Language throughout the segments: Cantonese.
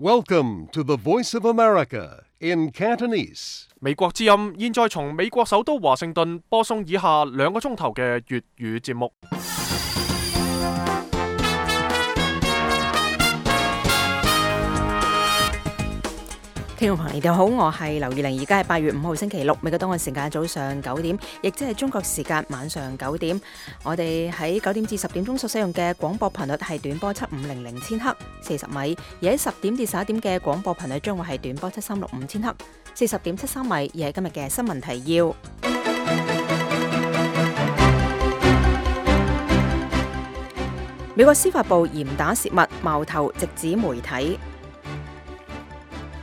Welcome to the Voice of America in Cantonese. 美國之音現在從美國首都華盛頓播送以下2個鐘頭嘅粵語節目。聽眾朋友，你哋好，我係劉月玲，而家係8月5號星期六，美國東岸時間早上9點，亦即係中國時間晚上9點。我哋喺9點至10點鐘所使用嘅廣播頻率係短波7500千赫40米，而喺10點至11點嘅廣播頻率將會係短波7365千赫40.73米。而係今日嘅新聞提要。美國司法部嚴打泄密，矛頭直指媒體。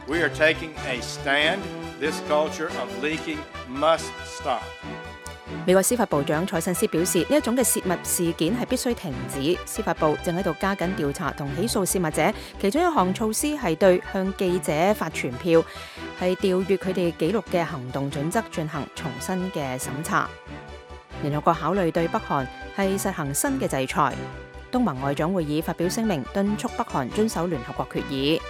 We are taking a stand. This culture of leaking must stop. 美國司法部長蔡新斯表示，呢一種嘅泄密事件係必須停止。司法部正喺度加緊調查同起訴泄密者，其中一項措施係對向記者發傳票，係調閱佢哋記錄嘅行動準則進行重新嘅審查。聯合國考慮對北韓係實行新嘅制裁。東盟外長會議發表聲明，敦促北韓遵守聯合國決議。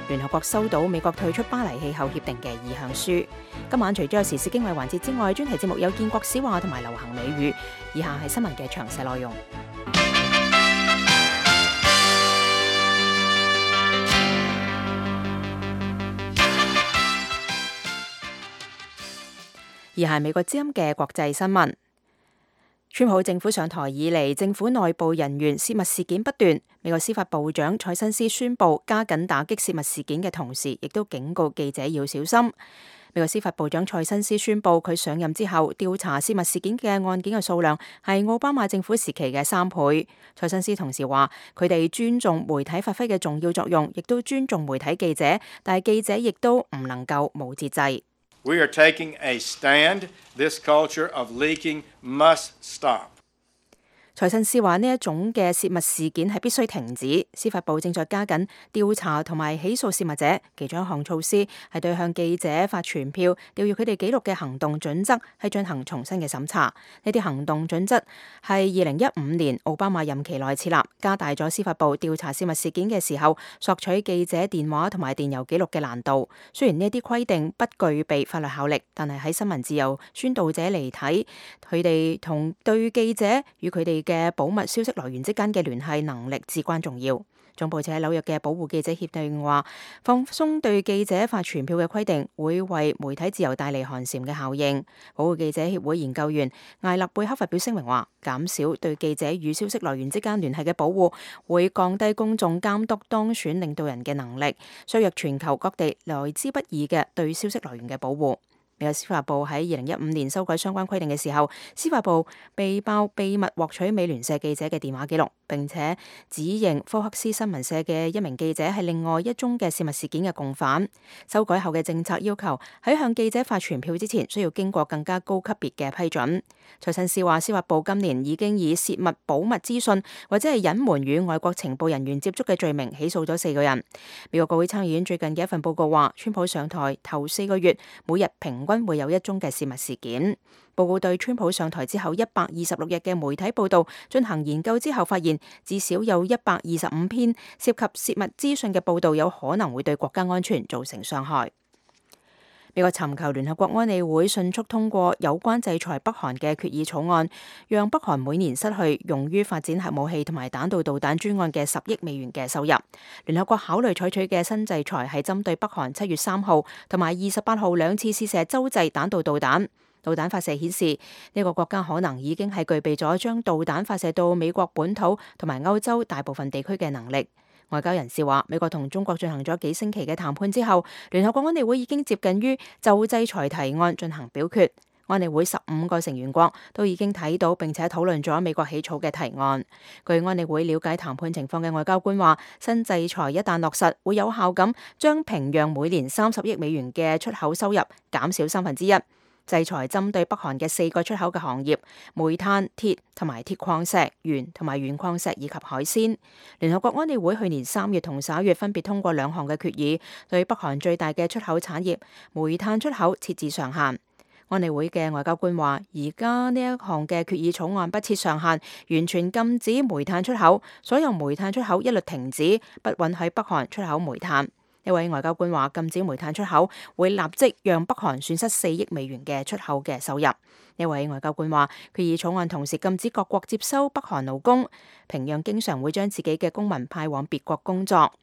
聯合國收到美國退出巴黎氣候協定嘅意向書。今晚除咗有時事經緯環節之外，專題節目有建國史話同埋流行美語。以下係新聞嘅詳細內容。而係美國之音嘅國際新聞。川普政府上台以嚟，政府內部人員泄密事件不斷。美國司法部長蔡新斯宣布加緊打擊泄密事件嘅同時，亦都警告記者要小心。美國司法部長蔡新斯宣布，佢上任之後調查泄密事件嘅案件嘅數量係奧巴馬政府時期嘅3倍。蔡新斯同時話，佢哋尊重媒體發揮嘅重要作用，亦都尊重媒體記者，但係記者亦都唔能夠冇節制。We are taking a stand. This culture of leaking must stop. 蔡新斯話，呢一種嘅泄密事件係必須停止。司法部正在加緊調查同埋起訴泄密者，其中一項措施係對向記者發傳票，調閱佢哋記錄嘅行動準則，係進行重新嘅審查。呢啲行動準則係2015年奧巴馬任期內設立，加大咗司法部調查泄密事件嘅時候索取記者電話同埋電郵記錄嘅難度。雖然呢啲規定不具備法律效力，但係喺新聞自由宣導者嚟睇，佢哋同對記者與佢哋嘅保密消息來源之間嘅聯繫能力至關重要。總部設喺紐約嘅保護記者協定話，放鬆對記者發傳票嘅規定會為媒體自由帶嚟寒蟬嘅效應。保護記者協會研究員艾勒貝克發表聲明話，減少對記者與消息來源之間聯繫嘅保護，會降低公眾監督當選領導人嘅能力，削弱全球各地來之不易嘅對消息來源嘅保護。美國司法部喺2015年修改相關規定嘅時候，司法部被曝秘密獲取美聯社記者嘅電話記錄，並且指認科克斯新聞社嘅一名記者係另外一宗嘅泄密事件嘅共犯。修改後嘅政策要求喺向記者發傳票之前，需要經過更加高級別嘅批准。蔡新斯話，司法部今年已經以泄密保密資訊或者係隱瞞與外國情報人員接觸嘅罪名起訴咗4個人。美國國會參議院最近嘅一份報告話，川普上台頭4個月，每日平均會有1宗嘅泄密事件。報告對川普上台之後126日嘅媒體報道進行研究之後，發現至少有125篇涉及泄密資訊嘅報道有可能會對國家安全造成傷害。美國尋求聯合國安理會迅速通過有關制裁北韓嘅決議草案，讓北韓每年失去用於發展核武器同埋彈道導彈專案嘅10億美元嘅收入。聯合國考慮採取嘅新制裁係針對北韓7月3號同埋28號2次試射洲際彈道導彈。導彈發射顯示，呢個國家可能已經係具備咗將導彈發射到美國本土同埋歐洲大部分地區嘅能力。外交人士話，美國同中國進行咗幾星期嘅談判之後，聯合國安理會已經接近於就制裁提案進行表決。安理會15個成員國都已經睇到並且討論咗美國起草嘅提案。據安理會了解談判情況嘅外交官話，新制裁一旦落實，會有效咁將平壤每年30億美元嘅出口收入減少1/3。制裁針對北韓嘅4個出口嘅行業：煤炭、鐵同埋鐵礦石、鉛同埋鉛礦石以及海鮮。聯合國安理會去年3月同11月分別通過2項嘅決議，對北韓最大嘅出口產業煤炭出口設置上限。安理會嘅外交官話，而家呢一項嘅決議草案不設上限，完全禁止煤炭出口，所有煤炭出口一律停止，不允許北韓出口煤炭。呢位外交官話，禁止煤炭出口會立即讓北韓損失4億美元嘅出口嘅收入。呢位外交官話，決議草案同時禁止各國接收北韓勞工，平壤經常會將自己嘅公民派往別國工作。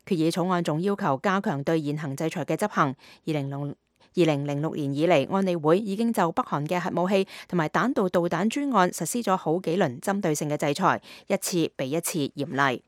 決議草案仲要求加強對現行制裁嘅執行。2006年以嚟，安理會已經就北韓嘅核武器同埋彈道導彈專案實施咗好幾輪針對性嘅制裁，一次比一次嚴厲。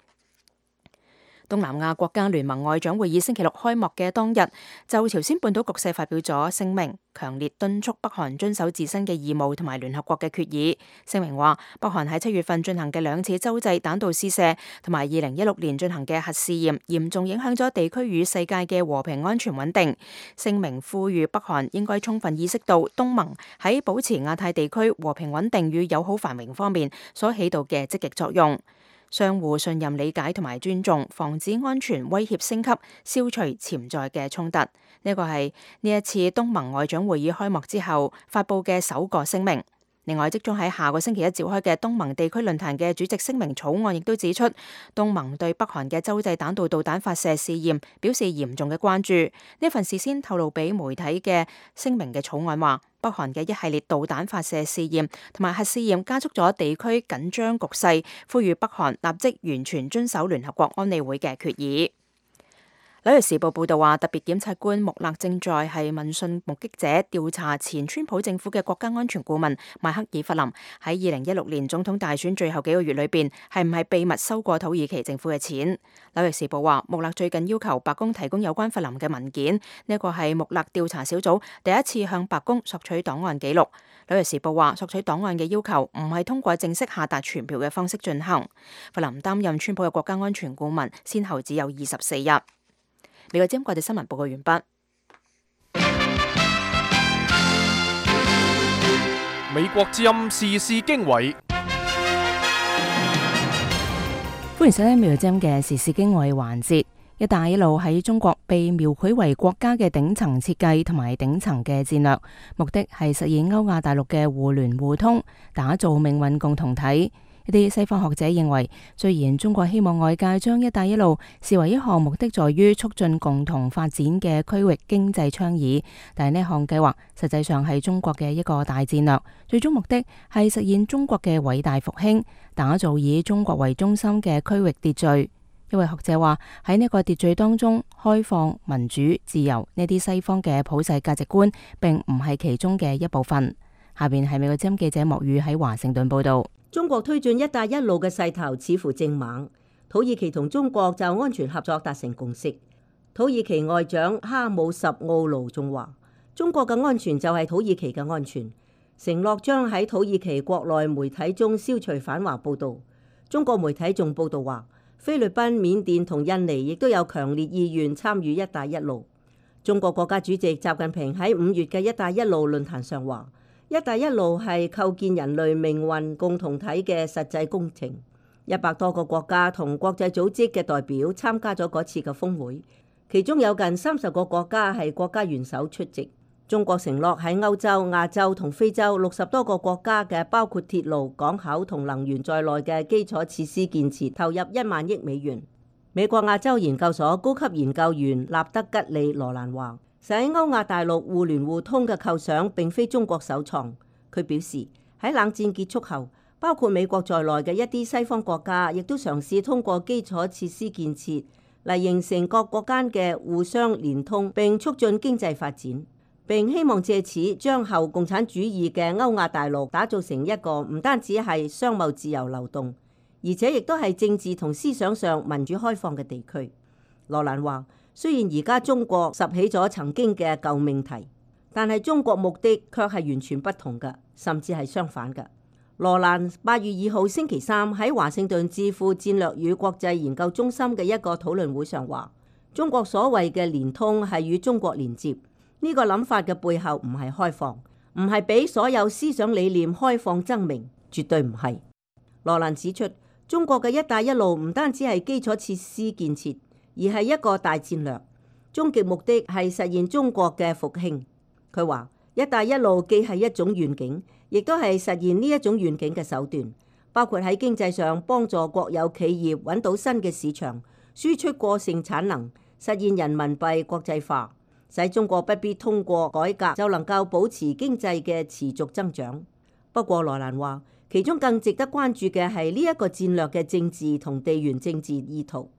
東南亞國家聯盟外長會議星期六開幕嘅當日，就朝鮮半島局勢發表咗聲明，強烈敦促北韓遵守自身嘅義務同埋聯合國嘅決議。聲明話，北韓喺7月份進行嘅2次洲際彈道試射，同埋2016年進行嘅核試驗，嚴重影響咗地區與世界嘅和平安全穩定。聲明呼籲北韓應該充分意識到東盟喺保持亞太地區和平穩定與友好繁榮方面所起到嘅積極作用。相互信任、理解同埋尊重，防止安全威脅升級，消除潛在嘅衝突。呢個係呢一次東盟外長會議開幕之後發佈嘅首個聲明。另外，即將喺下個星期一召開嘅東盟地區論壇嘅主席聲明草案亦都指出，東盟對北韓嘅洲際彈道導彈發射試驗表示嚴重嘅關注。呢份事先透露俾媒體嘅聲明嘅草案話，北韓嘅一系列導彈發射試驗同埋核試驗加速咗地區緊張局勢，呼籲北韓立即完全遵守聯合國安理會嘅決議。紐約時報報道話，特別檢察官穆勒正在係問訊目擊者調查前川普政府嘅國家安全顧問邁克爾弗林喺2016年總統大選最後幾個月裏邊係唔係秘密收過土耳其政府嘅錢。紐約時報話，穆勒最近要求白宮提供有關弗林嘅文件，呢個係穆勒調查小組第一次向白宮索取檔案記錄。紐約時報話，索取檔案嘅要求唔係通過正式下達傳票嘅方式進行。弗林擔任川普嘅國家安全顧問，先後只有24日。美國之音國際新聞報告完畢。美國之音時事經緯，歡迎收聽美國之音嘅時事經緯環節。一帶一路喺中國被描繪為國家嘅頂層設計同埋頂層嘅戰略，目的係實現歐亞大陸嘅互聯互通，打造命運共同體。一啲西方學者認為，雖然中國希望外界將一帶一路視為一項目的在於促進共同發展嘅區域經濟倡議，但係呢項計劃實際上係中國嘅一個大戰略，最終目的係實現中國嘅偉大復興，打造以中國為中心嘅區域秩序。一位學者話，喺呢個秩序當中，開放、民主、自由呢啲西方嘅普世價值觀並唔係其中嘅一部分。下邊係美國之音記者莫宇喺華盛頓報道。中國推進一帶一路嘅勢頭似乎正猛，土耳其同中國就安全合作達成共識。土耳其外長哈姆什奧盧仲話，中國嘅安全就係土耳其嘅安全，承諾將喺土耳其國內媒體中消除反華報導。中國媒體仲報導話，菲律賓、緬甸同印尼亦都有強烈意願參與一帶一路。中國國家主席習近平喺5月嘅一帶一路論壇上話，一帶一路係構建人類命運共同體嘅實際工程。100多個國家同國際組織嘅代表參加咗嗰次嘅峰會，其中有近30個國家係國家元首出席。中國承諾喺歐洲、亞洲同非洲60多個國家嘅包括鐵路、港口同能源在內嘅基礎設施建設投入1萬億美元。美國亞洲研究所高級研究員納德吉利羅蘭話，喺歐亞大陸互聯互通嘅構想並非中國首創。佢表示，喺冷戰結束後，包括美國在內嘅一啲西方國家亦都嘗試通過基礎設施建設嚟形成各國間嘅互相連通，並促進經濟發展，並希望借此將後共產主義嘅歐亞大陸打造成一個唔單止係商貿自由流動，而且亦都係政治同思想上民主開放嘅地區。羅蘭話，雖然而家中國拾起咗曾經嘅舊命題，但係中國目的卻係完全不同嘅，甚至係相反嘅。羅蘭8月2號星期三喺華盛頓智庫戰略與國際研究中心嘅一個討論會上話，中國所謂嘅連通係與中國連接，呢個諗法嘅背後唔係開放，唔係俾所有思想理念開放爭鳴，絕對唔係。羅蘭指出，中國嘅一帶一路唔單止係基礎設施建設，而係一個大戰略，終極目的係實現中國嘅復興。佢話，一帶一路既係一種願景，亦都係實現呢一種願景嘅手段，包括喺經濟上幫助國有企業揾到新嘅市場，輸出過剩產能，實現人民幣國際化，使中國不必通過改革就能夠保持經濟嘅持續增長。不過羅蘭話，其中更值得關注嘅係呢一個戰略嘅政治同地緣政治意圖，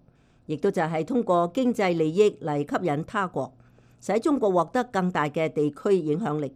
亦都就係通過經濟利益嚟吸引他國，使中國獲得更大嘅地區影響力。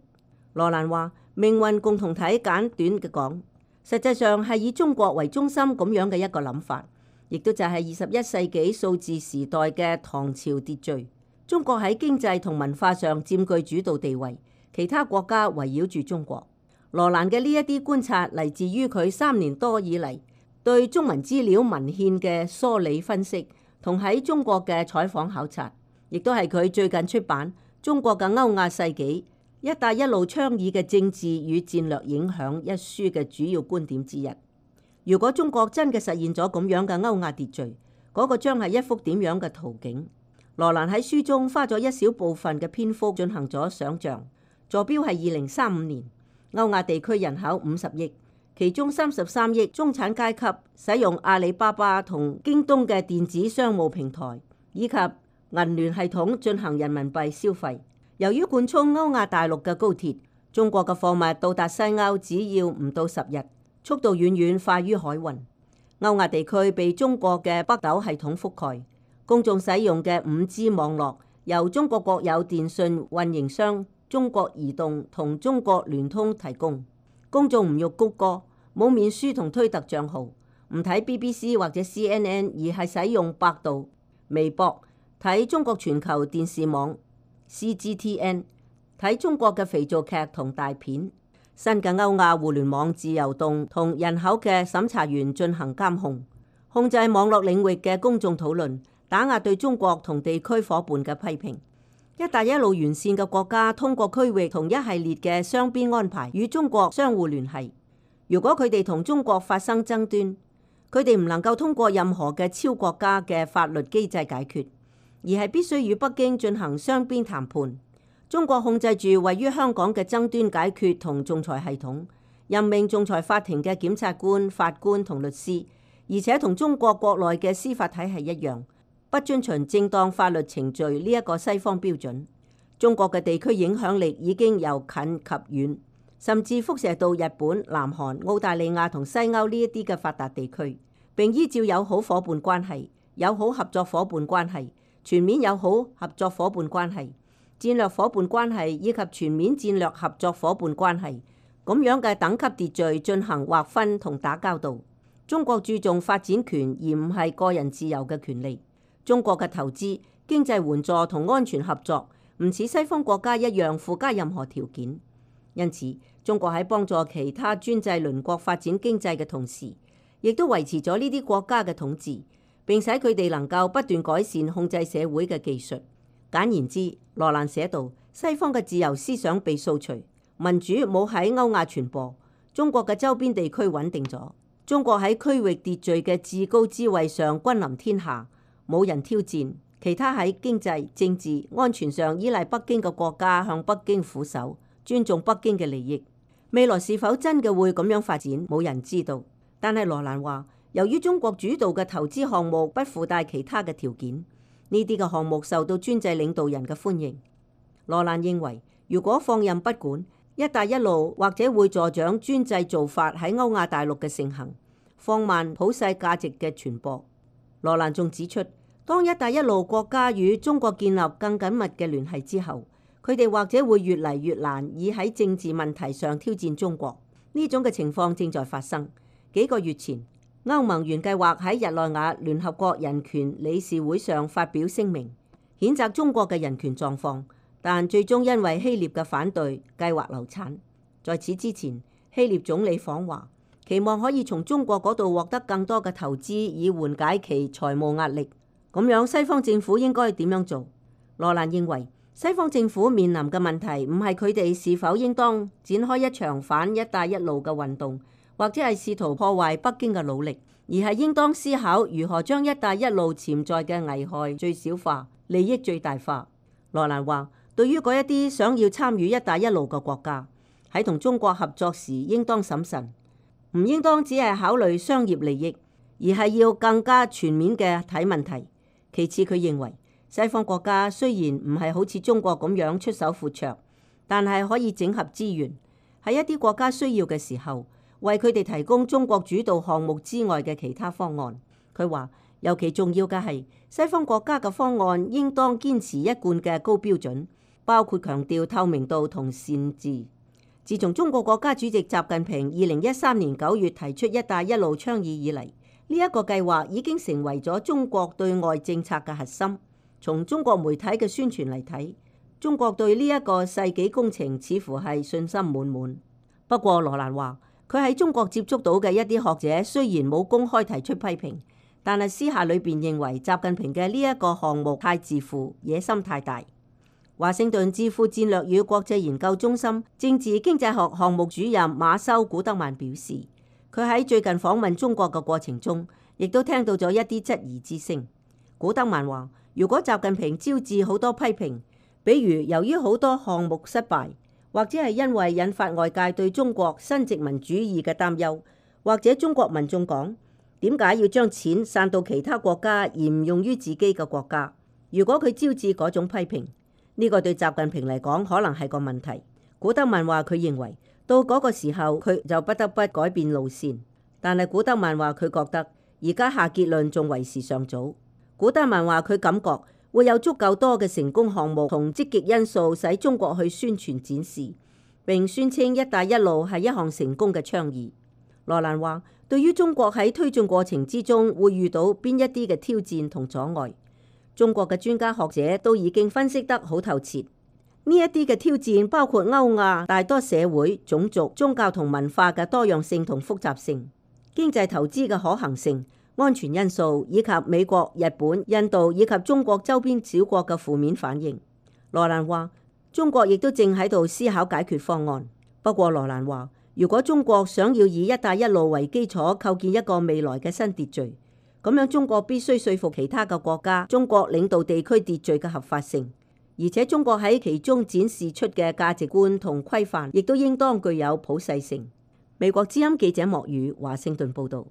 羅蘭話，命運共同體簡短嘅講，實際上係以中國為中心咁樣嘅一個諗法，亦都就係21世紀數字時代嘅唐朝秩序。中國喺經濟同文化上佔據主導地位，其他國家圍繞住中國。羅蘭嘅呢一啲觀察嚟自於佢3年多以嚟對中文資料文獻嘅梳理分析，同喺中國嘅採訪考察，亦都係佢最近出版《中國嘅歐亞世紀：一帶一路倡議嘅政治與戰略影響》一書嘅主要觀點之一。如果中國真嘅實現咗咁樣嘅歐亞秩序，嗰個將係一幅點樣嘅圖景？羅蘭喺書中花咗一小部分嘅篇幅進行咗想像，坐標係2035年。歐亞地區人口50億，其中33億中產階級使用阿里巴巴同京東嘅電子商務平台，以及銀聯系統進行人民幣消費。由於貫通歐亞大陸嘅高鐵，中國嘅貨物到達西歐只要唔到10日，速度遠遠快於海運。歐亞地區被中國嘅北斗系統覆蓋，公眾使用嘅5G 網絡由中國國有電信運營商中國移動同中國聯通提供，公眾唔用谷歌，冇面書同推特賬號，唔睇 BBC 或者 CNN， 而係使用百度、微博睇中國全球電視網 CGTN， 睇中國嘅肥皂劇同大片。新嘅歐亞互聯網自由動同人口嘅審查員進行監控制網絡領域嘅公眾討論，打壓對中國同地區夥伴嘅批評。一帶一路完善嘅國家通過區域同一系列嘅雙邊安排與中國相互聯繫。如果佢哋同中國發生爭端，佢哋唔能夠通過任何嘅超國家嘅法律機制解決，而係必須與北京進行雙邊談判。中國控制住位於香港嘅爭端解決同仲裁系統，任命仲裁法庭嘅檢察官、法官同律師，而且同中國國內嘅司法體系一樣，不遵循正當法律程序呢一個西方標準。中國嘅地區影響力已經由近及遠，甚至輻射到日本、南韓、澳大利亞同西歐呢一啲嘅發達地區，並依照友好夥伴關係、友好合作夥伴關係、全面友好合作夥伴關係、戰略夥伴關係以及全面戰略合作夥伴關係咁樣嘅等級秩序進行劃分同打交道。中國注重發展權而唔係個人自由嘅權利。中國嘅投資、經濟援助同安全合作唔似西方國家一樣附加任何條件，因此中國喺幫助其他專制鄰國發展經濟嘅同時，亦都維持咗呢啲國家嘅統治，並使佢哋能夠不斷改善控制社會嘅技術。簡言之，羅蘭寫道，西方嘅自由思想被掃除，民主冇喺歐亞傳播，中國嘅周邊地區穩定咗，中國喺區域秩序嘅至高之位上君臨天下，冇人挑戰，其他喺經濟、政治、安全上依賴北京嘅國家向北京俯首，尊重北京嘅利益。未來是否真嘅會咁樣發展，冇人知道。但係羅蘭話，由於中國主導嘅投資項目不附帶其他嘅條件，呢啲嘅項目受到專制領導人嘅歡迎。羅蘭認為，如果放任不管，一帶一路或者會助長專制做法喺歐亞大陸嘅盛行，放慢普世價值嘅傳播。羅蘭仲指出，當一帶一路國家與中國建立更緊密嘅聯繫之後，佢哋或者會越嚟越難以喺政治問題上挑戰中國。呢種嘅情況正在發生。幾個月前，歐盟原計劃喺日內瓦聯合國人權理事會上發表聲明，譴責中國嘅人權狀況，但最終因為希臘嘅反對，計劃流產。在此之前，希臘總理訪華，期望可以從中國嗰度獲得更多嘅投資，以緩解其財務壓力。咁樣西方政府應該點樣做？羅蘭認為，西方政府面臨嘅問題唔係佢哋是否應當展開一場反一帶一路嘅運動，或者係試圖破壞北京嘅努力，而係應當思考如何將一帶一路潛在嘅危害最小化，利益最大化。羅蘭話，對於嗰一啲想要參與一帶一路嘅國家，喺同中國合作時應當審慎，唔應當只係考慮商業利益，而係要更加全面嘅睇問題。其次，佢認為西方國家雖然唔係好似中國咁樣出手闊綽，但係可以整合資源，喺一啲國家需要嘅時候，為佢哋提供中國主導項目之外嘅其他方案。佢話，尤其重要嘅係西方國家嘅方案應當堅持一貫嘅高標準，包括強調透明度同善治。自從中國國家主席習近平2013年9月提出一帶一路倡議以嚟，呢一個計劃已經成為咗中國對外政策嘅核心。從中國媒體嘅宣傳嚟睇，中國對呢一個世紀工程似乎係信心滿滿。不過羅蘭話，佢喺中國接觸到嘅一啲學者雖然冇公開提出批評，但係私下裏邊認為習近平嘅呢一個項目太自負，野心太大。華盛頓智庫戰略與國際研究中心政治經濟學項目主任馬修古德曼表示，佢喺最近訪問中國嘅過程中，亦都聽到咗一啲質疑之聲。古德曼話，如果習近平招致好多批評，比如由於好多項目失敗，或者係因為引發外界對中國新殖民主義嘅擔憂，或者中國民眾講點解要將錢散到其他國家而唔用於自己嘅國家？如果佢招致嗰種批評，呢個對習近平嚟講可能係個問題。古德曼話佢認為到嗰個時候佢就不得不改變路線，但係古德曼話佢覺得而家下結論仲為時尚早。古德曼話佢感覺會有足夠多嘅成功項目同積極因素使中國去宣傳展示，並宣稱一帶一路係一項成功嘅倡議。羅蘭話，對於中國喺推進過程之中會遇到邊一啲嘅挑戰同阻礙，中國嘅專家學者都已經分析得好透徹。呢一啲嘅挑戰包括歐亞大多社會、種族、宗教同文化嘅多樣性同複雜性，經濟投資嘅可行性、安全因素，以及美國、日本、印度以及中國周邊小國嘅負面反應。羅蘭話，中國亦都正喺度思考解決方案。不過羅蘭話，如果中國想要以一帶一路為基礎構建一個未來嘅新秩序，咁樣中國必須說服其他嘅國家中國領導地區秩序嘅合法性，而且中國喺其中展示出嘅價值觀同規範亦都應當具有普世性。美國之音記者莫宇華盛頓報道。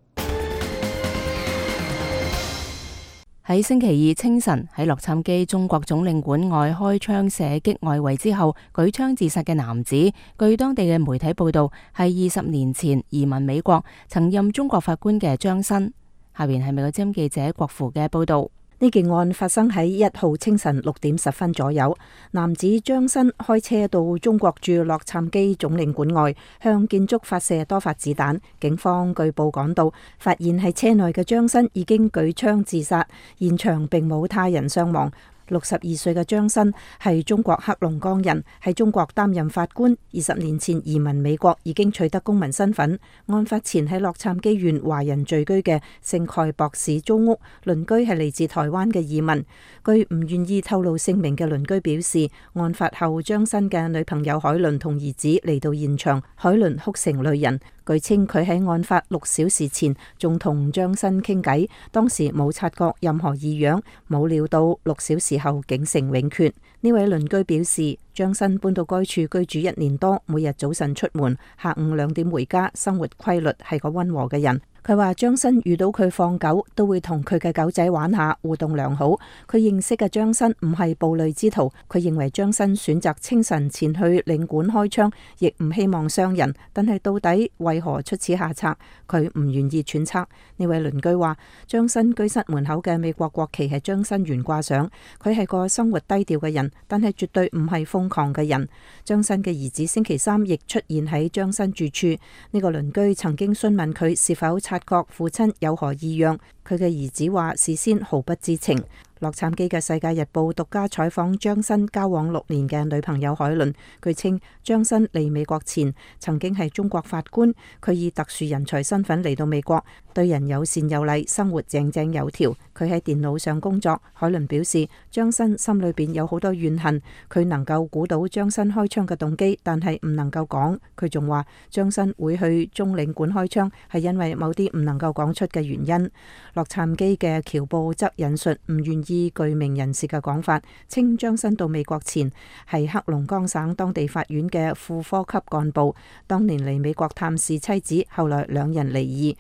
喺星期二清晨喺洛杉磯中國總領館外開槍射擊外圍之後舉槍自殺嘅男子，據當地嘅媒體報道係20年前移民美國曾任中國法官嘅張新。下邊係美國之音記者郭芙嘅報道。呢件案發生喺1號清晨6點10分左右，男子張新開車到中國駐洛杉磯總領館外，向建築發射多發子彈。警方據報趕到，發現喺車內嘅張新已經舉槍自殺，現場並冇他人傷亡。62歲嘅張新係中國黑龍江人，喺中國擔任法官。20年前移民美國，已經取得公民身份。案發前喺洛杉磯縣華人聚居嘅聖蓋博市租屋，鄰居係嚟自台灣嘅移民。據唔願意透露姓名嘅鄰居表示，案發後張新嘅女朋友海倫同兒子嚟到現場，海倫哭成淚人。據稱佢喺案發6小時前仲同張新傾偈，當時冇察覺任何異樣，冇料到6小時後竟成永訣。呢位鄰居表示，張新搬到該處居住1年多，每日早晨出門，下午2點回家，生活規律，係個溫和嘅人。佢話張新遇到佢放狗，都會同佢嘅狗仔玩下，互動良好。佢認識嘅張新唔係暴戾之徒，佢認為張新選擇清晨前去領館開槍，亦唔希望傷人。但係到底為何出此下策，佢唔願意揣測。呢位鄰居話，張新居室門口嘅美國國旗係張新懸掛上，佢係個生活低調嘅人，但係絕對唔係瘋狂嘅人。張新嘅兒子星期3亦出現喺張新住處。呢個鄰居曾經詢問佢是否察覺父親有何異樣，佢嘅兒子話事先毫不知情。洛杉磯嘅《世界日報》獨家採訪張新交往6年嘅女朋友海倫，據稱張新嚟美國前曾經係中國法官，佢以特殊人才身份嚟到美國，對人友善有禮，生活井井有條。佢喺電腦上工作。海倫表示，張新心裏邊有好多怨恨，佢能夠估到張新開槍嘅動機，但係唔能夠講。佢仲話張新會去中領館開槍係因為某啲唔能夠講出嘅原因。洛杉磯嘅僑報則引述唔願意具名人士嘅講法，稱張新到美國前係黑龍江省當地法院嘅副科級幹部，當年嚟美國探視妻子，後來兩人離異。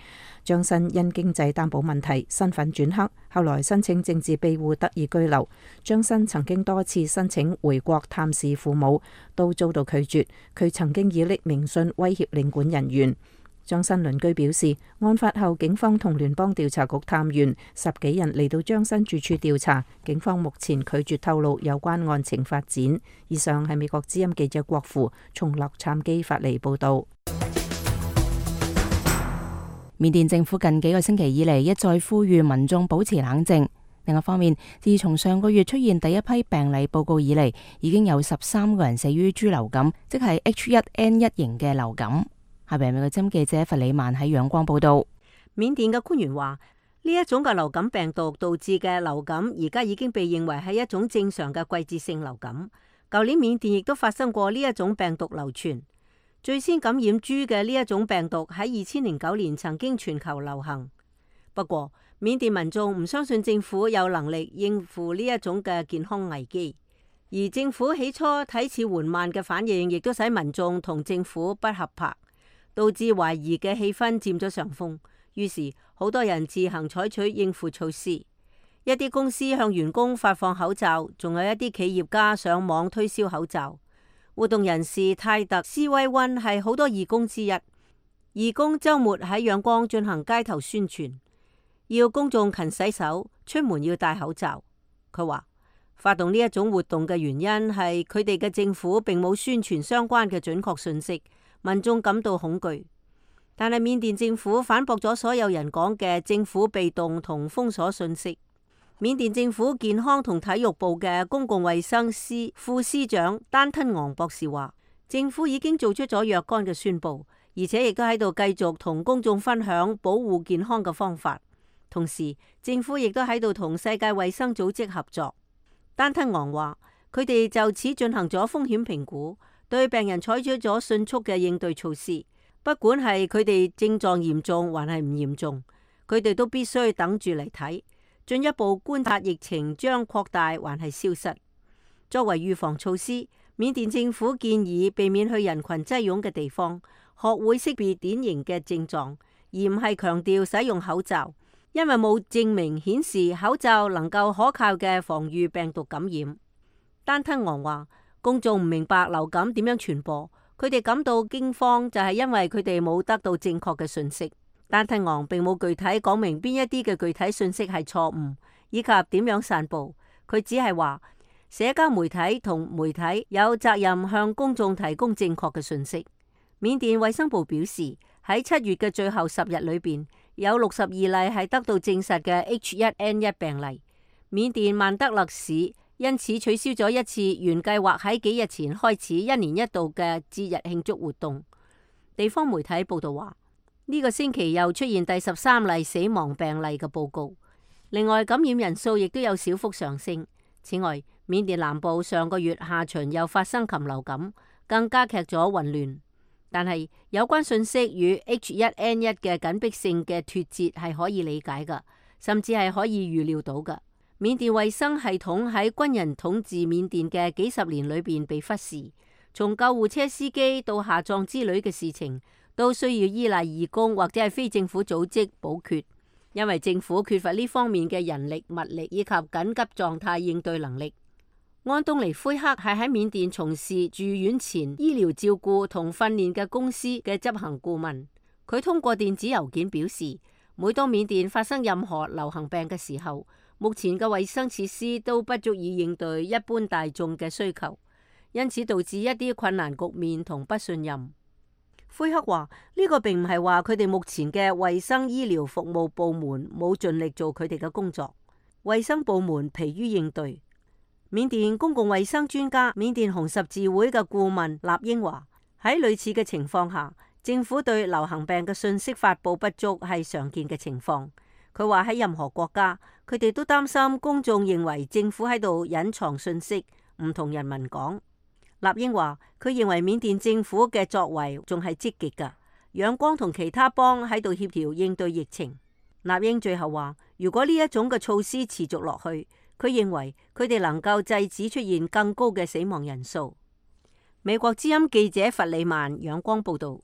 張新因經濟擔保問題身份轉黑，後來申請政治庇護得以居留。張新曾經多次申請回國探視父母，都遭到拒絕。佢曾經以匿名信威脅領館人員。張新鄰居表示，案發後警方同聯邦調查局探員10幾人嚟到張新住處調查，警方目前拒絕透露有關案情發展。以上係美國之音記者郭芙從洛杉磯發嚟報道。緬甸政府近幾個星期以嚟一再呼籲民眾保持冷靜。另一方面，自從上個月出現第一批病例報告以嚟，已經有13個人死於豬流感，即係 H1N1 型嘅流感。下邊美國之音記者弗里曼喺仰光報道。緬甸嘅官員話，呢一種嘅流感病毒導致嘅流感，而家已經被認為係一種正常嘅季節性流感。舊年緬甸亦都發生過呢一種病毒流傳。最先感染豬嘅呢一種病毒喺2009年曾經全球流行。不過，緬甸民眾唔相信政府有能力應付呢一種嘅健康危機，而政府起初睇似緩慢嘅反應，亦都使民眾同政府不合拍，導致懷疑嘅氣氛佔咗上風。於是，好多人自行採取應付措施，一啲公司向員工發放口罩，仲有一啲企業家上網推銷口罩。活動人士泰特斯威溫係好多義工之一，義工周末喺仰光進行街頭宣傳，要公眾勤洗手，出門要戴口罩。佢話發動呢一種活動嘅原因係佢哋嘅政府並冇宣傳相關嘅準確信息，民眾感到恐懼。但係緬甸政府反駁咗所有人講嘅政府被動同封鎖信息。緬甸政府健康同體育部嘅公共衛生司副司長丹吞昂博士話，政府已經做出咗若干嘅宣佈，而且亦都喺度繼續同公眾分享保護健康嘅方法。同時，政府亦都喺度同世界衛生組織合作。丹吞昂話，佢哋就此進行咗風險評估，對病人採取咗迅速嘅應對措施，不管係佢哋症狀嚴重還係唔嚴重，佢哋都必須等住嚟睇。進一步觀察疫情將擴大還係消失。作為預防措施，緬甸政府建議避免去人群擠擁嘅地方，學會識別典型嘅症狀，而唔係強調使用口罩，因為冇證明顯示口罩能夠可靠嘅防禦病毒感染。丹吞昂話，公眾唔明白流感點樣傳播，佢哋感到驚慌就係因為佢哋冇得到正確嘅信息。丹吞昂並冇具體講明邊一啲嘅具體信息係錯誤，以及點樣散布。佢只係話，社交媒體同媒體有責任向公眾提供正確嘅信息。緬甸衛生部表示，喺7月嘅最後10日裏邊，有62例係得到證實嘅 H1N1 病例。緬甸曼德勒市因此取消咗一次原計劃喺幾日前開始1年1度嘅節日慶祝活動。地方媒體報道話，呢個星期又出現第13例死亡病例嘅報告。另外，感染人數亦都有小幅上升。此外，緬甸南部上個月下旬又發生禽流感，更加劇咗混亂。但係有關信息與 H1N1 嘅緊迫性嘅脫節係可以理解㗎，甚至係可以預料到㗎。緬甸衛生系統喺軍人統治緬甸嘅幾十年裏邊被忽視，從救護車司機到下葬之類嘅事情，都需要依賴義工或者係非政府組織補缺，因為政府缺乏呢方面嘅人力、物力以及緊急狀態應對能力。安東尼奎克係喺緬甸從事住院前醫療照顧同訓練嘅公司嘅執行顧問。佢通過電子郵件表示，每當緬甸發生任何流行病嘅時候，目前嘅衛生設施都不足以應對一般大眾嘅需求，因此導致一啲困難局面同不信任。奎克話：呢個並唔係話佢哋目前嘅衛生醫療服務部門冇盡力做佢哋嘅工作，衛生部門疲於應對。緬甸公共衛生專家、緬甸紅十字會嘅顧問納英話：喺類似嘅情況下，政府對流行病嘅信息發佈不足係常見嘅情況。佢話喺任何國家，佢哋都擔心公眾認為政府喺度隱藏信息，唔同人民講。納英話：佢認為緬甸政府嘅作為仲係積極㗎，仰光同其他邦喺度協調應對疫情。納英最後話：如果呢一種嘅措施持續落去，佢認為佢哋能夠制止出現更高嘅死亡人數。美國之音記者弗里曼仰光報道。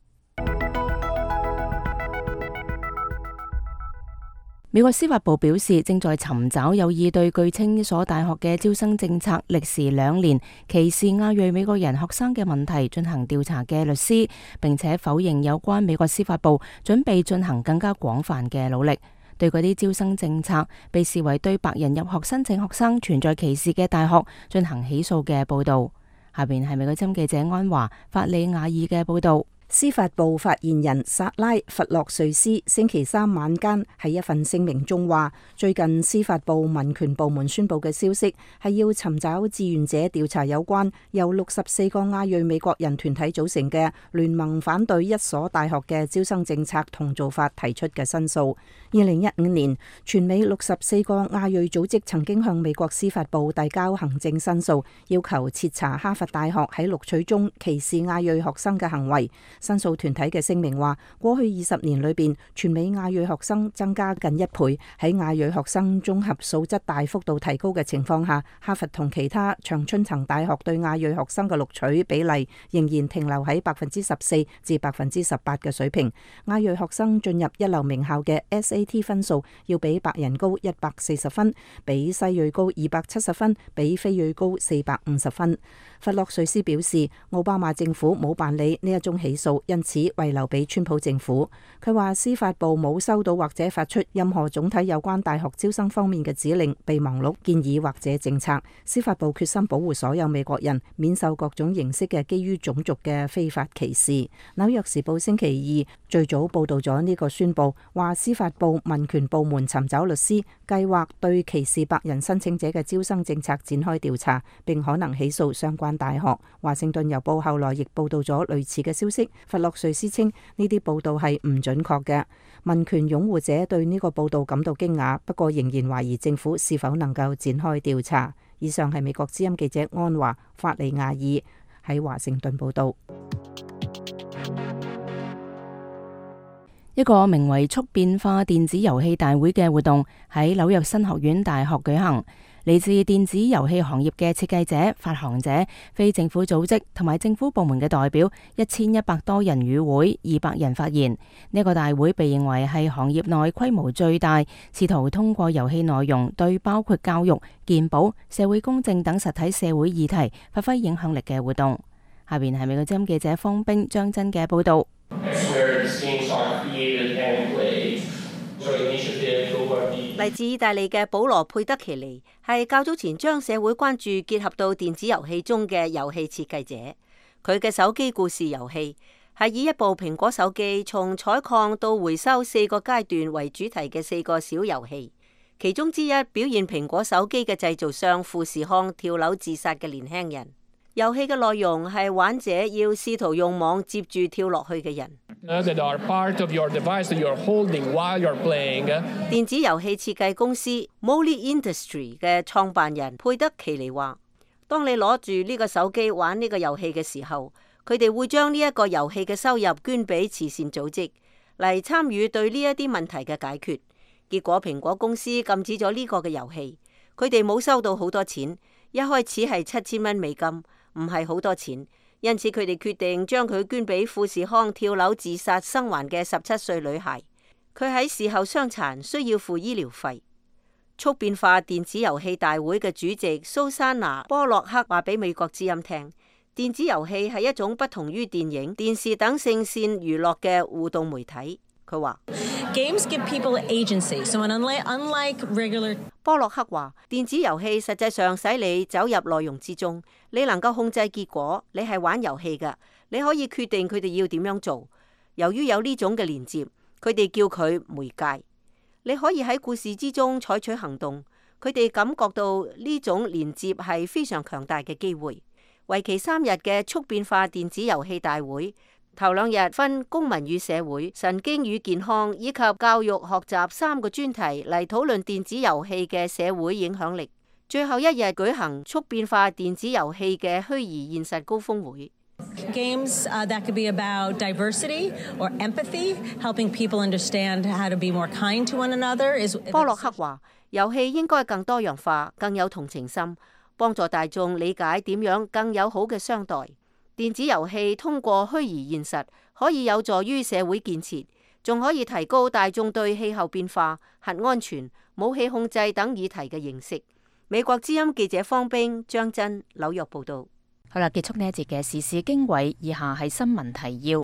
美國司法部表示，正在尋找有意對據稱一所大學嘅招生政策歷時2年歧視亞裔美國人學生嘅問題進行調查嘅律師，並且否認有關美國司法部準備進行更加廣泛嘅努力，對嗰啲招生政策被視為對白人入學申請學生存在歧視嘅大學進行起訴嘅報導。下邊係美國之音記者安華法里亞爾嘅報導。司法部發言人薩拉弗洛瑞斯星期三晚間喺一份聲明中話，最近司法部民權部門宣佈嘅消息係要尋找志願者調查有關由64個亞裔美國人團體組成嘅聯盟反對一所大學嘅招生政策同做法提出嘅申訴。2015年，全美64個亞裔組織曾經向美國司法部遞交行政申訴，要求徹查哈佛大學喺錄取中歧視亞裔學生嘅行為。申訴團體嘅聲明話，過去20年裏邊，全美亞裔學生增加近1倍。喺亞裔學生綜合素質大幅度提高嘅情況下，哈佛同其他長春藤大學對亞裔學生嘅錄取比例仍然停留喺14%至18%嘅水平。亞裔學生進入一流名校嘅 SAT 分數要比白人高140分，比西裔高270分，比非裔高450分。弗洛瑞斯表示，奧巴馬政府冇辦理呢一宗起訴，因此遺留俾川普政府。佢話司法部冇收到或者發出任何總體有關大學招生方面嘅指令、備忘錄、建議或者政策。司法部決心保護所有美國人免受各種形式嘅基於種族嘅非法歧視。紐約時報星期二最早報道咗呢個宣佈，話司法部民權部門尋找律師，計劃對歧視白人申請者嘅招生政策展開調查，並可能起訴相關大學。華盛頓郵報後來亦報道咗類似嘅消息。弗洛瑞斯稱呢啲報道係唔準確嘅。民權擁護者對呢個報道感到驚訝，不過仍然懷疑政府是否能夠展開調查。以上係美國之音記者安華法利亞爾喺華盛頓報道。一個名為速變化電子遊戲大會嘅活動喺紐約新學院大學舉行。嚟自電子遊戲行業嘅設計者、發行者、非政府組織同埋政府部門嘅代表1100多人與會，200人發言。呢個大會被認為係行業內規模最大，試圖通過遊戲內容對包括教育、健保、社會公正等實體社會議題發揮影響力嘅活動。下邊係美國之音記者方冰、張真嘅報導。嚟自意大利嘅保羅佩德奇尼係較早前將社會關注結合到電子遊戲中嘅遊戲設計者。佢嘅手機故事遊戲係以一部蘋果手機從採礦到回收4個階段為主題嘅4個小遊戲，其中之一表現蘋果手機嘅製造商富士康跳樓自殺嘅年輕人。遊戲嘅內容係玩者要試圖用網接住跳落去嘅人。電子遊戲設計公司 Molly Industry 嘅創辦人佩德奇尼話，當你攞住呢個手機玩呢個遊戲嘅時候，佢哋會將呢一個遊戲嘅收入捐俾慈善組織嚟參與對呢一啲問題嘅解決。結果蘋果公司禁止咗呢個嘅遊戲，佢哋冇收到好多錢，一開始係7000蚊美金，唔係好多錢，因此佢哋決定將佢捐俾富士康跳樓自殺生還嘅17歲女孩。佢喺事後傷殘，需要付醫療費。速變化電子遊戲大會嘅主席蘇珊娜·波洛克話俾美國之音聽，電子遊戲係一種不同於電影、電視等聖線娛樂嘅互動媒體。佢話：Games give people agency, so unlike regular。波洛克話：電子遊戲實際上使你走入內容之中，你能夠控制結果，你係玩遊戲㗎，你可以決定佢哋要點樣做。由於有呢種嘅連接，佢哋叫佢媒介。你可以喺故事之中採取行動，佢哋感覺到呢種連接係非常強大嘅機會。為期3日嘅速變化電子遊戲大會，頭2日分公民與社會、神經與健康以及教育學習3個專題嚟討論電子遊戲嘅社會影響力。最後1日舉行速變化電子遊戲嘅虛擬現實高峰會。Games that could be about diversity or empathy, helping people understand how to be more kind to one another. 波洛克話：遊戲應該更多樣化，更有同情心，幫助大眾理解點樣更友好嘅相待。電子遊戲通過虛擬現實可以有助於社會建設，仲可以提高大眾對氣候變化、核安全、武器控制等議題嘅認識。美國之音記者方冰、張真紐約報道。好啦，結束呢一節嘅時事經緯，以下係新聞提要。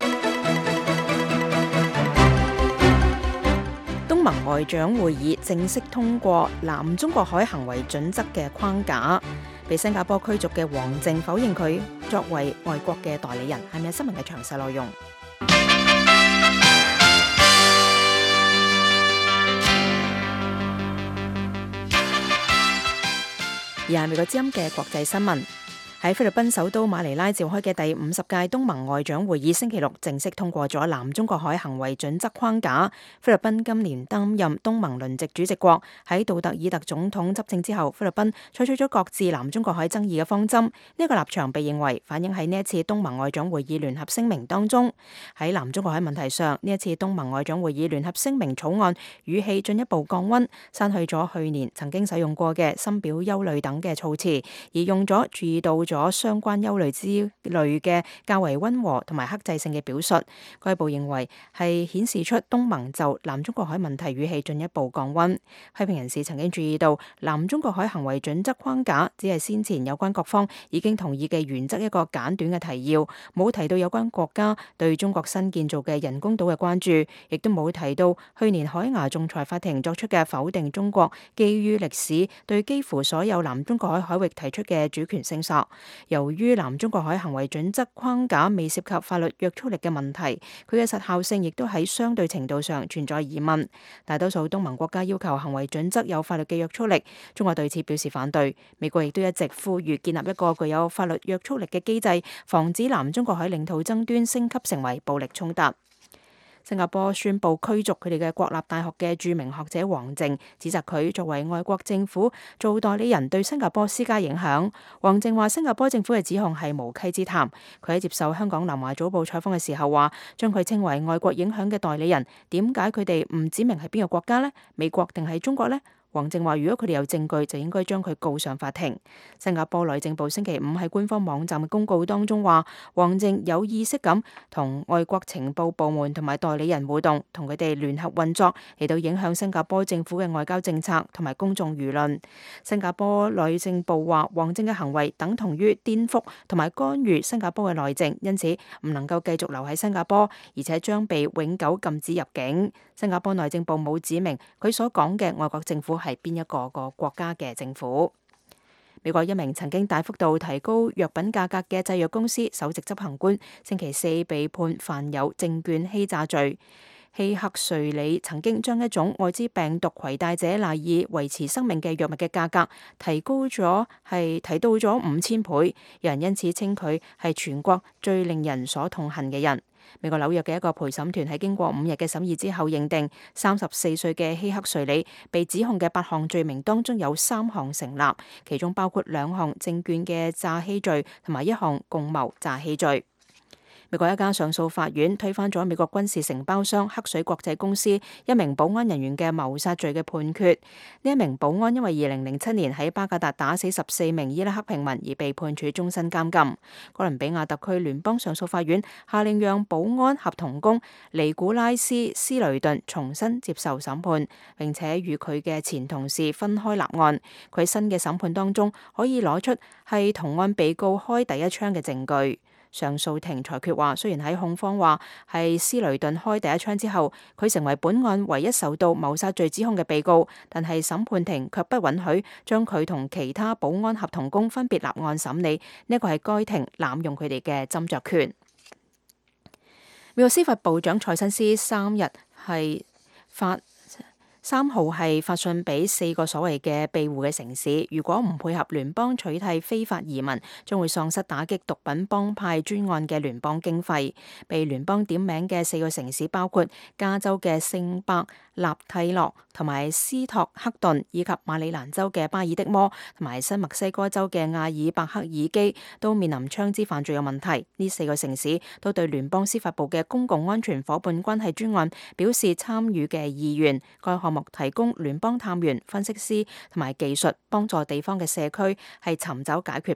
東盟外長會議正式通過南中國海行為準則嘅框架。被新加坡驅逐嘅王靖否認佢作為外國嘅代理人。係咪有新聞嘅詳細內容？而係美國之音嘅國際新聞。喺菲律賓首都馬尼拉召開嘅第50屆東盟外長會議星期六正式通過咗南中國海行為準則框架。菲律賓今年擔任東盟輪值主席國，喺杜特爾特總統執政之後，菲律賓採取咗各自南中國海爭議嘅方針。呢個立場被認為反映喺呢一次東盟外長會議聯合聲明當中。喺南中國海問題上，呢一次東盟外長會議聯合聲明草案語氣進一步降溫，刪去咗去年曾經使用過嘅深表憂慮等嘅措辭，而用咗注意到咗相關憂慮之類嘅較為溫和同埋克制性嘅表述。該報認為係顯示出東盟就南中國海問題語氣進一步降溫。批評人士曾經注意到，南中國海行為準則框架只係先前有關各方已經同意嘅原則一個簡短嘅提要，冇提到有關國家對中國新建造嘅人工島嘅關注，亦都冇提到去年海牙仲裁法庭作出嘅否定中國基於歷史對幾乎所有南中國海海域提出嘅主權聲索。由於南中國海行為準則框架未涉及法律約束力嘅問題，佢嘅實效性亦都喺相對程度上存在疑問。大多數東盟國家要求行為準則有法律嘅約束力，中國對此表示反對。美國亦都一直呼籲建立一個具有法律約束力嘅機制，防止南中國海領土爭端升級成為暴力衝突。新加坡宣布驅逐佢哋嘅國立大學嘅著名學者王靖，指責佢作為外國政府做代理人對新加坡施加影響。王靖話新加坡政府嘅指控係無稽之談。佢喺接受香港南華早報採訪嘅時候話，將佢稱為外國影響嘅代理人，點解佢哋唔指明係邊個國家呢？美國定係中國呢？王靖話：如果佢哋有證據，就應該將佢告上法庭。新加坡內政部星期五喺官方網站嘅公告當中話，王靖有意識咁同外國情報部門同埋代理人互動，同佢哋聯合運作嚟到影響新加坡政府嘅外交政策同埋公眾輿論。新加坡內政部話，王靖嘅行為等同於顛覆同埋干預新加坡嘅內政，因此唔能夠繼續留喺新加坡，而且將被永久禁止入境。新加坡內政部冇指明佢所講嘅外國政府係邊一個國家嘅政府。美國一名曾經大幅度提高藥品價格嘅製藥公司首席執行官星期四被判犯有證券欺詐罪。希克瑞里曾經將一種愛滋病毒攜帶者賴以維持生命嘅藥物嘅價格提到咗5000倍，有人因此稱佢係全國最令人所痛恨嘅人。美國紐約嘅一個陪審團喺經過5日嘅審議之後認定，34歲嘅希克瑞里被指控嘅8項罪名當中有3項成立，其中包括2項證券嘅詐欺罪同埋1項共謀詐欺罪。美國一家上訴法院推翻咗美國軍事承包商黑水國際公司一名保安人員嘅謀殺罪嘅判決。呢一名保安因為2007年喺巴格達打死14名伊拉克平民而被判處終身監禁。哥倫比亞特區聯邦上訴法院下令讓保安合同工尼古拉斯·斯雷頓重新接受審判，並且與佢嘅前同事分開立案。佢新嘅審判當中可以攞出係同案被告開第一槍嘅證據。上訴庭裁決話，雖然喺控方話係斯雷頓開第一槍之後，佢成為本案唯一受到謀殺罪指控嘅被告，但係審判庭卻不允許將佢同其他保安合同工分別立案審理。呢個係該庭濫用佢哋嘅斟酌權。美國司法部長蔡新斯3號係發信俾4個所謂嘅庇護嘅城市，如果唔配合聯邦取締非法移民，將會喪失打擊毒品幫派專案嘅聯邦經費。被聯邦點名嘅4個城市包括加州嘅聖伯納蒂諾同埋斯托克頓，以及馬里蘭州嘅巴爾的摩同埋新墨西哥州嘅阿爾伯克爾基，都面臨槍支犯罪嘅問題。呢4個城市都對聯邦司法部嘅公共安全夥伴關係專案表示參與嘅意願。該項目提供聯邦探員、分析師同埋技術，幫助地方嘅社區係尋找解決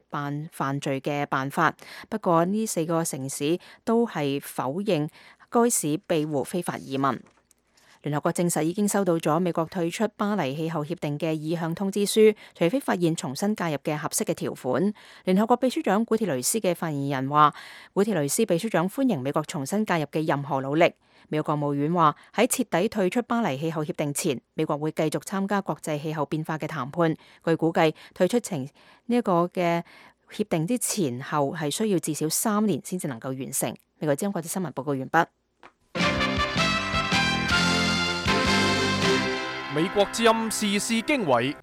犯罪嘅辦法。不過呢4個城市都係否認該市庇護非法移民。聯合國證實已經收到咗美國退出巴黎氣候協定嘅意向通知書，除非發現重新加入嘅合適嘅條款。聯合國秘書長古鐵雷斯嘅發言人話，古鐵雷斯秘書長歡迎美國重新加入嘅任何努力。美國國務院話，喺徹底退出巴黎氣候協定前，美國會繼續參加國際氣候變化嘅談判。據估計，退出前呢一個嘅協定之前後係需要至少3年先至能夠完成。美國之音國際新聞報告完畢。美國之音時事經緯，